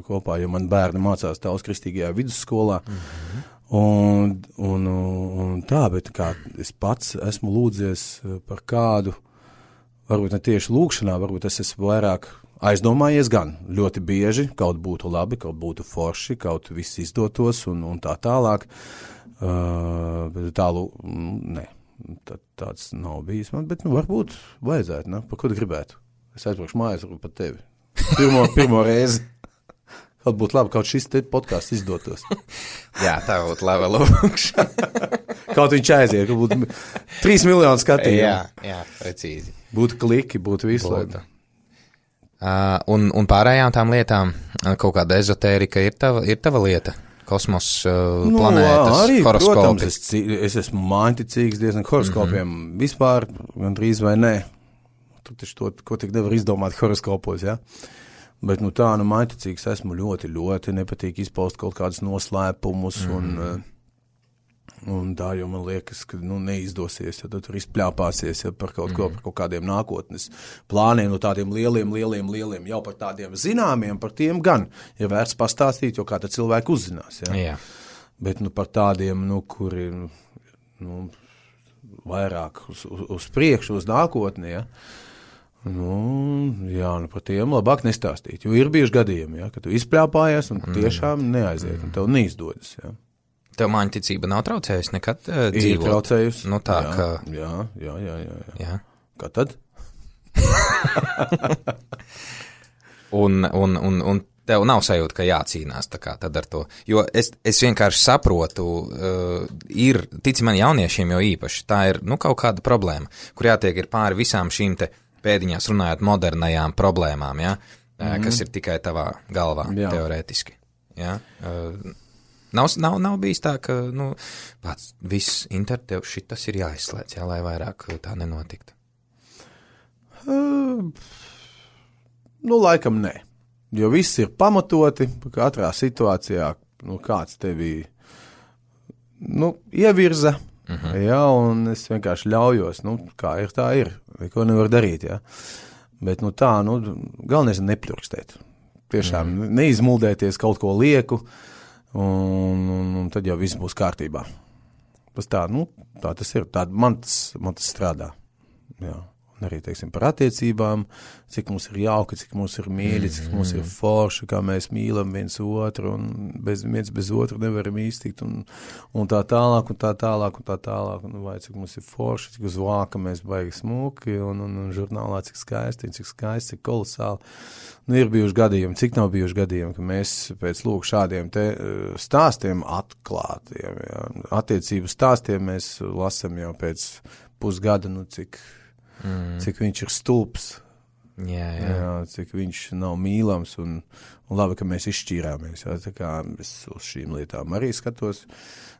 kopā, jo man bērni mācās Taulas kristīgajā vidusskolā, mm-hmm. un, un, un tā, bet kā es pats esmu lūdzies par kādu, varbūt ne tieši lūkšanā, varbūt es esmu vairāk aizdomājies gan ļoti bieži, kaut būtu labi, kaut būtu forši, kaut viss izdotos un, un tā tālāk, uh, bet tālu, ne, tā, tāds nav bijis man, bet nu varbūt vajadzētu, ne, par ko tu gribētu? Es aizbraukšu mājās, varbūt pat tevi. Pirmo, pirmo reizi. Kaut būtu labi, kaut šis te podcasts izdotos. Jā, tā būtu laba lūkšana. Kaut viņš aiziet, ka būtu trīs miljoni skatījumu. Jā, jā, precīzi. Būtu kliki, būtu visu laiku. Uh, un, un pārējām tām lietām, kaut kāda ezotērika ir tava, ir tava lieta? Kosmos, uh, nu, planētas, arī, horoskopi? Protams, es, es esmu māņticīgs diezgan horoskopiem. Mm-hmm. Vispār, gan drīz vai nē. Tu taču to, ko tik nevar izdomāt horoskopos, jā? Ja? Bet, nu tā, nu māņticīgs esmu ļoti, ļoti nepatīk izpaust kaut kādus noslēpumus mm. un, un tā, jo man liekas, ka, nu, neizdosies, ja tu tur izpļāpāsies ja, par kaut mm. ko, par kaut kādiem nākotnes plāniem, nu tādiem lieliem, lieliem, lieliem, jau par tādiem zināmiem, par tiem gan ir vērts pastāstīt, jo kā tad cilvēki uzzinās, ja. Jā. Bet, nu, par tādiem, nu, kuri, nu, vairāk uz, uz, uz priekšu, uz nākotni, ja. Nu, jā, nu par tiem labāk nestāstīt, jo ir bijuši gadījumi, ja, ka tu izpļāpājies un tiešām neaiziet, un tev neizdodas, ja. Tev māņticība nav traucējusi nekad uh, dzīvot? Ir traucējusi. Nu tā, jā, ka... Jā, jā, jā, jā, jā. jā. Kā tad? un, un, un, un tev nav sajūta, ka jācīnās tā kā tad ar to, jo es, es vienkārši saprotu, uh, ir, tici man jauniešiem jau īpaši, tā ir, nu, kaut kāda problēma, kur jātiek ir pāri visām šīm te pēdiņās runājot modernajām problēmām, ja? mm-hmm. kas ir tikai tavā galvā, jā. Teorētiski. Ja? Uh, nav, nav, nav bijis tā, ka nu, pats viss inter tev šitas ir jāizslēdz, ja? Lai vairāk tā nenotiktu. Uh, nu, laikam nē. Jo viss ir pamatoti, katrā situācijā, nu, kāds tevi, nu, ievirza, uh-huh. jā, un es vienkārši ļaujos, nu, kā ir, tā ir, neko nevar darīt, jā. Bet, nu, tā, nu, galvenais ir nepļurkstēt. Tiešām uh-huh. neizmuldēties kaut ko lieku, un, un, un tad jau viss būs kārtībā. Tas tā, nu, tā tas ir, tā man tas, man tas strādā, jā. Un arī, teiksim, par attiecībām, cik mums ir jauki, cik mums ir mīļi, cik mums ir forši, kā mēs mīlam viens otru, un bez, viens bez otru nevaram iztikt, un, un tā tālāk, un tā tālāk, un tā tālāk, un vai cik mums ir forši, cik uz vāka mēs baigi smuki, un, un, un žurnālā cik skaisti, cik skaisti, cik kolosāli. Nu, ir bijuši gadījumi, cik nav bijuši gadījumi, ka mēs pēc lūk šādiem te stāstiem atklātiem, jā, attiecību stāstiem mēs lasam jau pēc pusgada, nu, cik Mm. cik viņš ir stulps, jā, jā. Jā, cik viņš nav mīlams, un, un labi, ka mēs izšķīrāmies. Jā, tā kā es uz šīm lietām arī skatos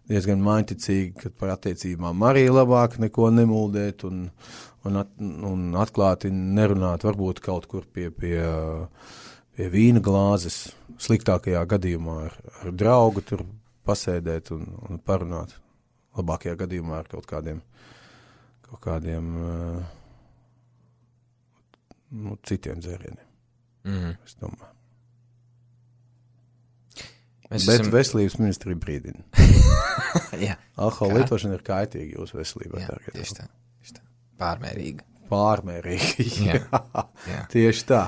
diezgan maiņticīgi, kad par attiecībām arī labāk neko nemuldēt un, un, at, un atklāti nerunāt, varbūt kaut kur pie, pie, pie vīna glāzes, sliktākajā gadījumā ar, ar draugu tur pasēdēt un, un parunāt. Labākajā gadījumā ar kaut kādiem, kaut kādiem uh, nu, citiem dzērieniem. Mm. Es domāju. Mēs Bet esam... veselības ministrija brīdina. Jā. Alkohola lietošana ir kaitīga jūsu veselībai. Jā, tieši tā, tieši tā. Pārmērīga. Pārmērīga, jā. jā. jā. Tieši tā.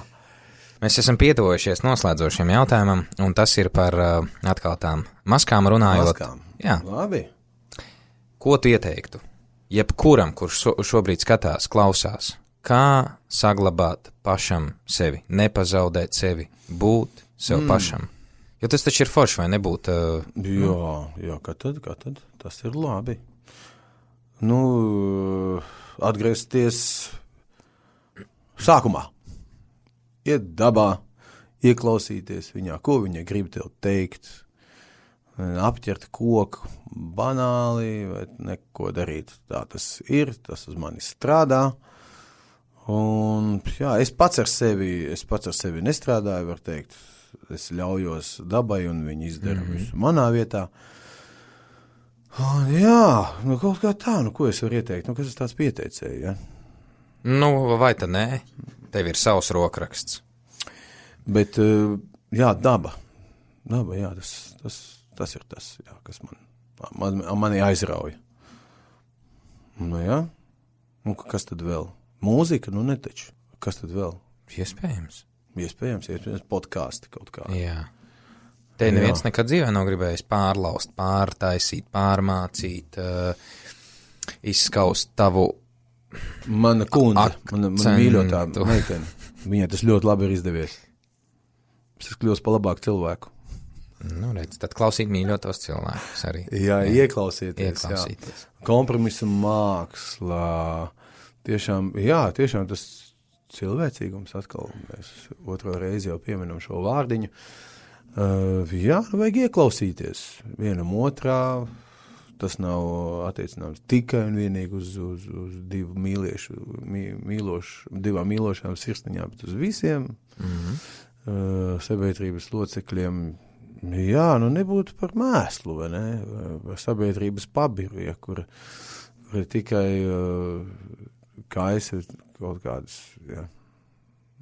Mēs esam pietuvojušies noslēdzošiem jautājumam, un tas ir par uh, atkal tām maskām runājot. Maskām. Jā. Labi. Ko tu ieteiktu? Jebkuram, kurš so, šobrīd skatās, klausās, kā saglabāt pašam sevi, nepazaudēt sevi, būt sev mm. pašam. Jo tas taču ir forši, vai nebūt? Uh, jā, jā, kā tad, kā tad? Tas ir labi. Nu, atgriezties sākumā. Iet dabā, ieklausīties viņā, ko viņa grib tev teikt, apķert koku, banāli, vai neko darīt. Tā tas ir, tas uz mani strādā. Un, jā, es pats ar sevi, es pats ar sevi nestrādāju, var teikt. Es ļaujos dabai, un viņi izdara mm-hmm. visu manā vietā. Un, jā, nu kaut kā tā, nu ko es varu ieteikt? Nu, kas es tāds pieteicēju, ja? Nu, vai tad nē? Tev ir savs rokraksts. Bet, jā, daba. Daba, jā, tas, tas, tas ir tas, jā, kas man, man, mani aizrauja. Nu, jā. Un kas tad vēl? Mūzika, nu netaču. Kas tad vēl? Iespējams. Iespējams, iespējams, podkāsti kaut kā. Jā. Te neviens Jā. nekad dzīvē nav gribējis pārlaust, pārtaisīt, pārmācīt, uh, izskaust tavu Mana kundze, mana, mana mīļotā meitene. Viņai tas ļoti labi ir izdevies. Es esmu kļūst pa labāku cilvēku. Nu, redz, tad klausīt mīļotos cilvēkus arī. Jā, jā. ieklausieties. ieklausīties. Jā. Kompromisu mākslā. Tiešām, jā, tiešām tas cilvēcīgums atkal, mēs otro reizi jau pieminam šo vārdiņu. Uh, jā, nu vajag ieklausīties vienam otrā. Tas nav attiecināms tikai un vienīgi uz, uz, uz divu mīliešu, mī, mīlošu, divām mīlošām sirsniņām, bet uz visiem mm-hmm. uh, sabiedrības locekļiem. Jā, nu nebūtu par mēslu, vai ne? Par sabiedrības pabiru, ja, kur, kur tikai uh, kaisa kaut kādas ja,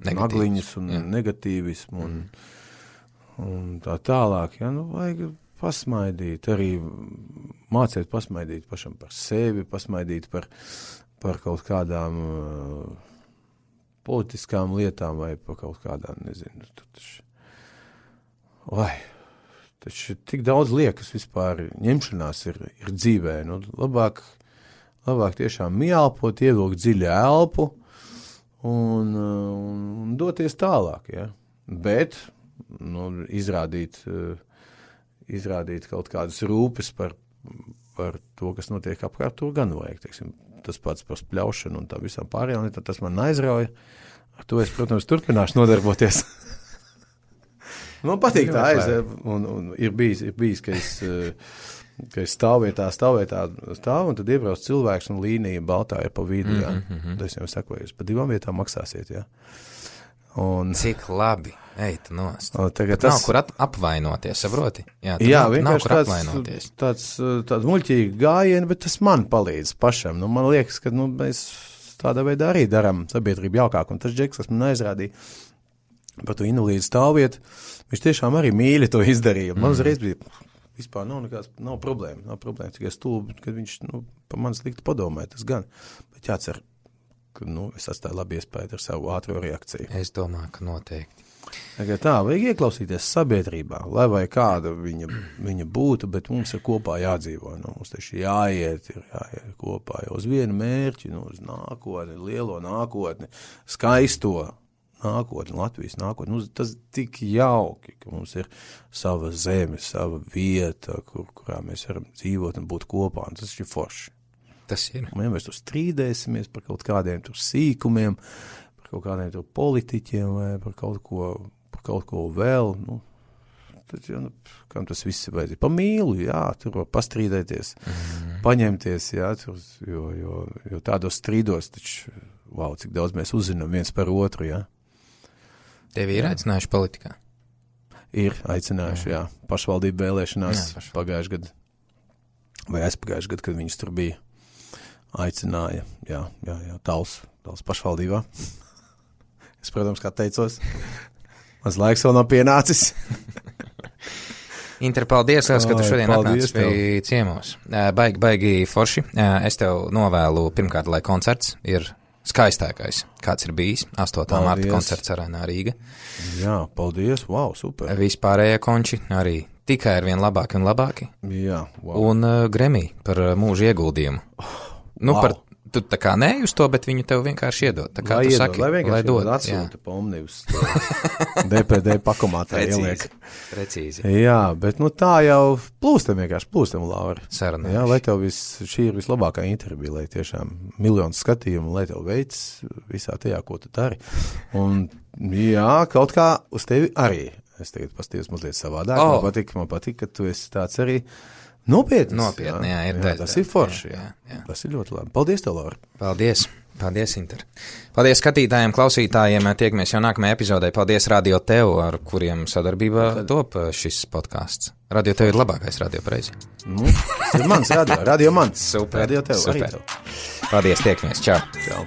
nagliņas un jā. negatīvismu un, mm. un tā tālāk. Ja, nu, vajag pasmaidīt, arī mācīt pasmaidīt pašam par sevi, pasmaidīt par, par kaut kādām uh, politiskām lietām vai par kaut kādām, nezinu, taču, vai, taču tik daudz liekas vispār ņemšanās ir, ir dzīvē, nu, labāk, labāk tiešām mielpot, ievilkt dziļu elpu un, un, un doties tālāk, ja, bet, nu, izrādīt, uh, izrādīt kaut kādas rūpes par, par to, kas notiek apkārt, to gan vajag, teiksim, tas pats par spļaušanu un tā visām pārējām, tas man aizrauja. Ar to es, protams, turpināšu nodarboties. Man patīk tā aiz, un, un ir bijis, ir bijis, ka es, ka es stāvvietā, stāvvietā stāvu, un tad iebrauc cilvēks, un līnija baltā ir pa vidu, jā. Mm-hmm. Tad es jau sakoju, jūs pa divām vietām maksāsiet, jā. Un... Cik labi. Ej, tu nost. O, tagad tas... tas... Nav kur at apvainoties, saproti? Jā, Jā nav, nav kur tāds, apvainoties. tāds, tāds muļķīgi gājieni, bet tas man palīdz pašam. Nu, man liekas, ka nu, mēs tādā veidā arī darām sabiedrību jaukāk. Un tas džeks, kas man aizrādīja par to invalīdu stāvvietu, viņš tiešām arī mīļi to izdarīja. Man uzreiz bija, vispār nav nekāds, nav problēma, nav problēma, tikai stulbi, kad viņš, nu, pa man slikti padomāja, tas gan. Bet jācer, ka, nu, es atstāju labi iespēju ar savu ātro reakciju. Es domāju, ka noteikti. Tā, vajag ieklausīties sabiedrībā, lai vai kāda viņa, viņa būtu, bet mums ir kopā jādzīvo. Nu, mums taču jāiet, ir jāiet kopā jau uz vienu mērķi, nu, uz nākotni, lielo nākotni, skaisto nākotni, Latvijas nākotni. Nu, tas tik jauki, ka mums ir sava zeme, sava vieta, kur, kurā mēs varam dzīvot un būt kopā, un tas ir forši. Tas ir. Un ja mēs tur strīdēsimies par kaut kādiem tur sīkumiem, kaut kādiem tur politiķiem vai par kaut ko, par kaut ko vēl, nu, tad, ja, nu, kam tas viss ir vajadzīgi. Pa mīlu, jā, tur var pastrīdēties, mm. paņemties, jā, tur, jo, jo, jo tādos strīdos, taču, wow, cik daudz mēs uzzinām viens par otru, jā. Tevi ir aicinājuši politikā? Ir aicinājuši, jā, jā. Pašvaldību vēlēšanās jā, pagājuši gadu, vai aizpagājuši gadu, kad viņas tur bija, aicināja, jā, jā, jā, Tals, Tals pašvaldībā. Es, protams, kā teicos, mans laiks vēl nav pienācis. Inter, paldies, liels, ka tu šodien atnācis pie ciemos. Baigi, baigi forši. Es tev novēlu, pirmkārt, lai koncerts ir skaistākais, kāds ir bijis. astotā marta koncerts Arēnā Rīga. Jā, paldies, wow, super. Vispārējie konči arī tikai ar vien labāki un labāki. Jā, wow. Un uh, Grammy par uh, mūžu ieguldījumu. Nu, wow. par Tu tā kā ne uz to, bet viņu tev vienkārši iedod. Tā kā lai tu iedod, saki, lai vienkārši lai dod. Atsūta pomni uz D P D pakomātā ieliek. Precīzi. Jā, bet nu tā jau plūstam vienkārši, plūstam, Laura. Sarunājuši. Jā, lai tev vis, šī ir vislabākā intervija, lai tiešām miljonu skatījumu, lai tev veids visā tajā, ko tu dari. Un jā, kaut kā uz tevi arī. Es tagad pastījos mazliet savādāk. Oh. Man patīk, man patīk, ka tu esi tāds arī nopietns. Nopietni, jā, jā, ir jā, daļa. Tas ir forši, jā, jā, jā. Tas ir ļoti labi. Paldies tev, Laura. Paldies. Paldies, Inter. Paldies skatītājiem, klausītājiem. Tiekamies jau nākamajā epizodē. Paldies Radio Tev, ar kuriem sadarbībā top šis podcasts. Radio Tev ir labākais radio pareizi. Nu, tas ir mans radio. Radio mans. Super. Radio Tev. Super. Arī tev. Paldies, tiekamies. Čau. Čau.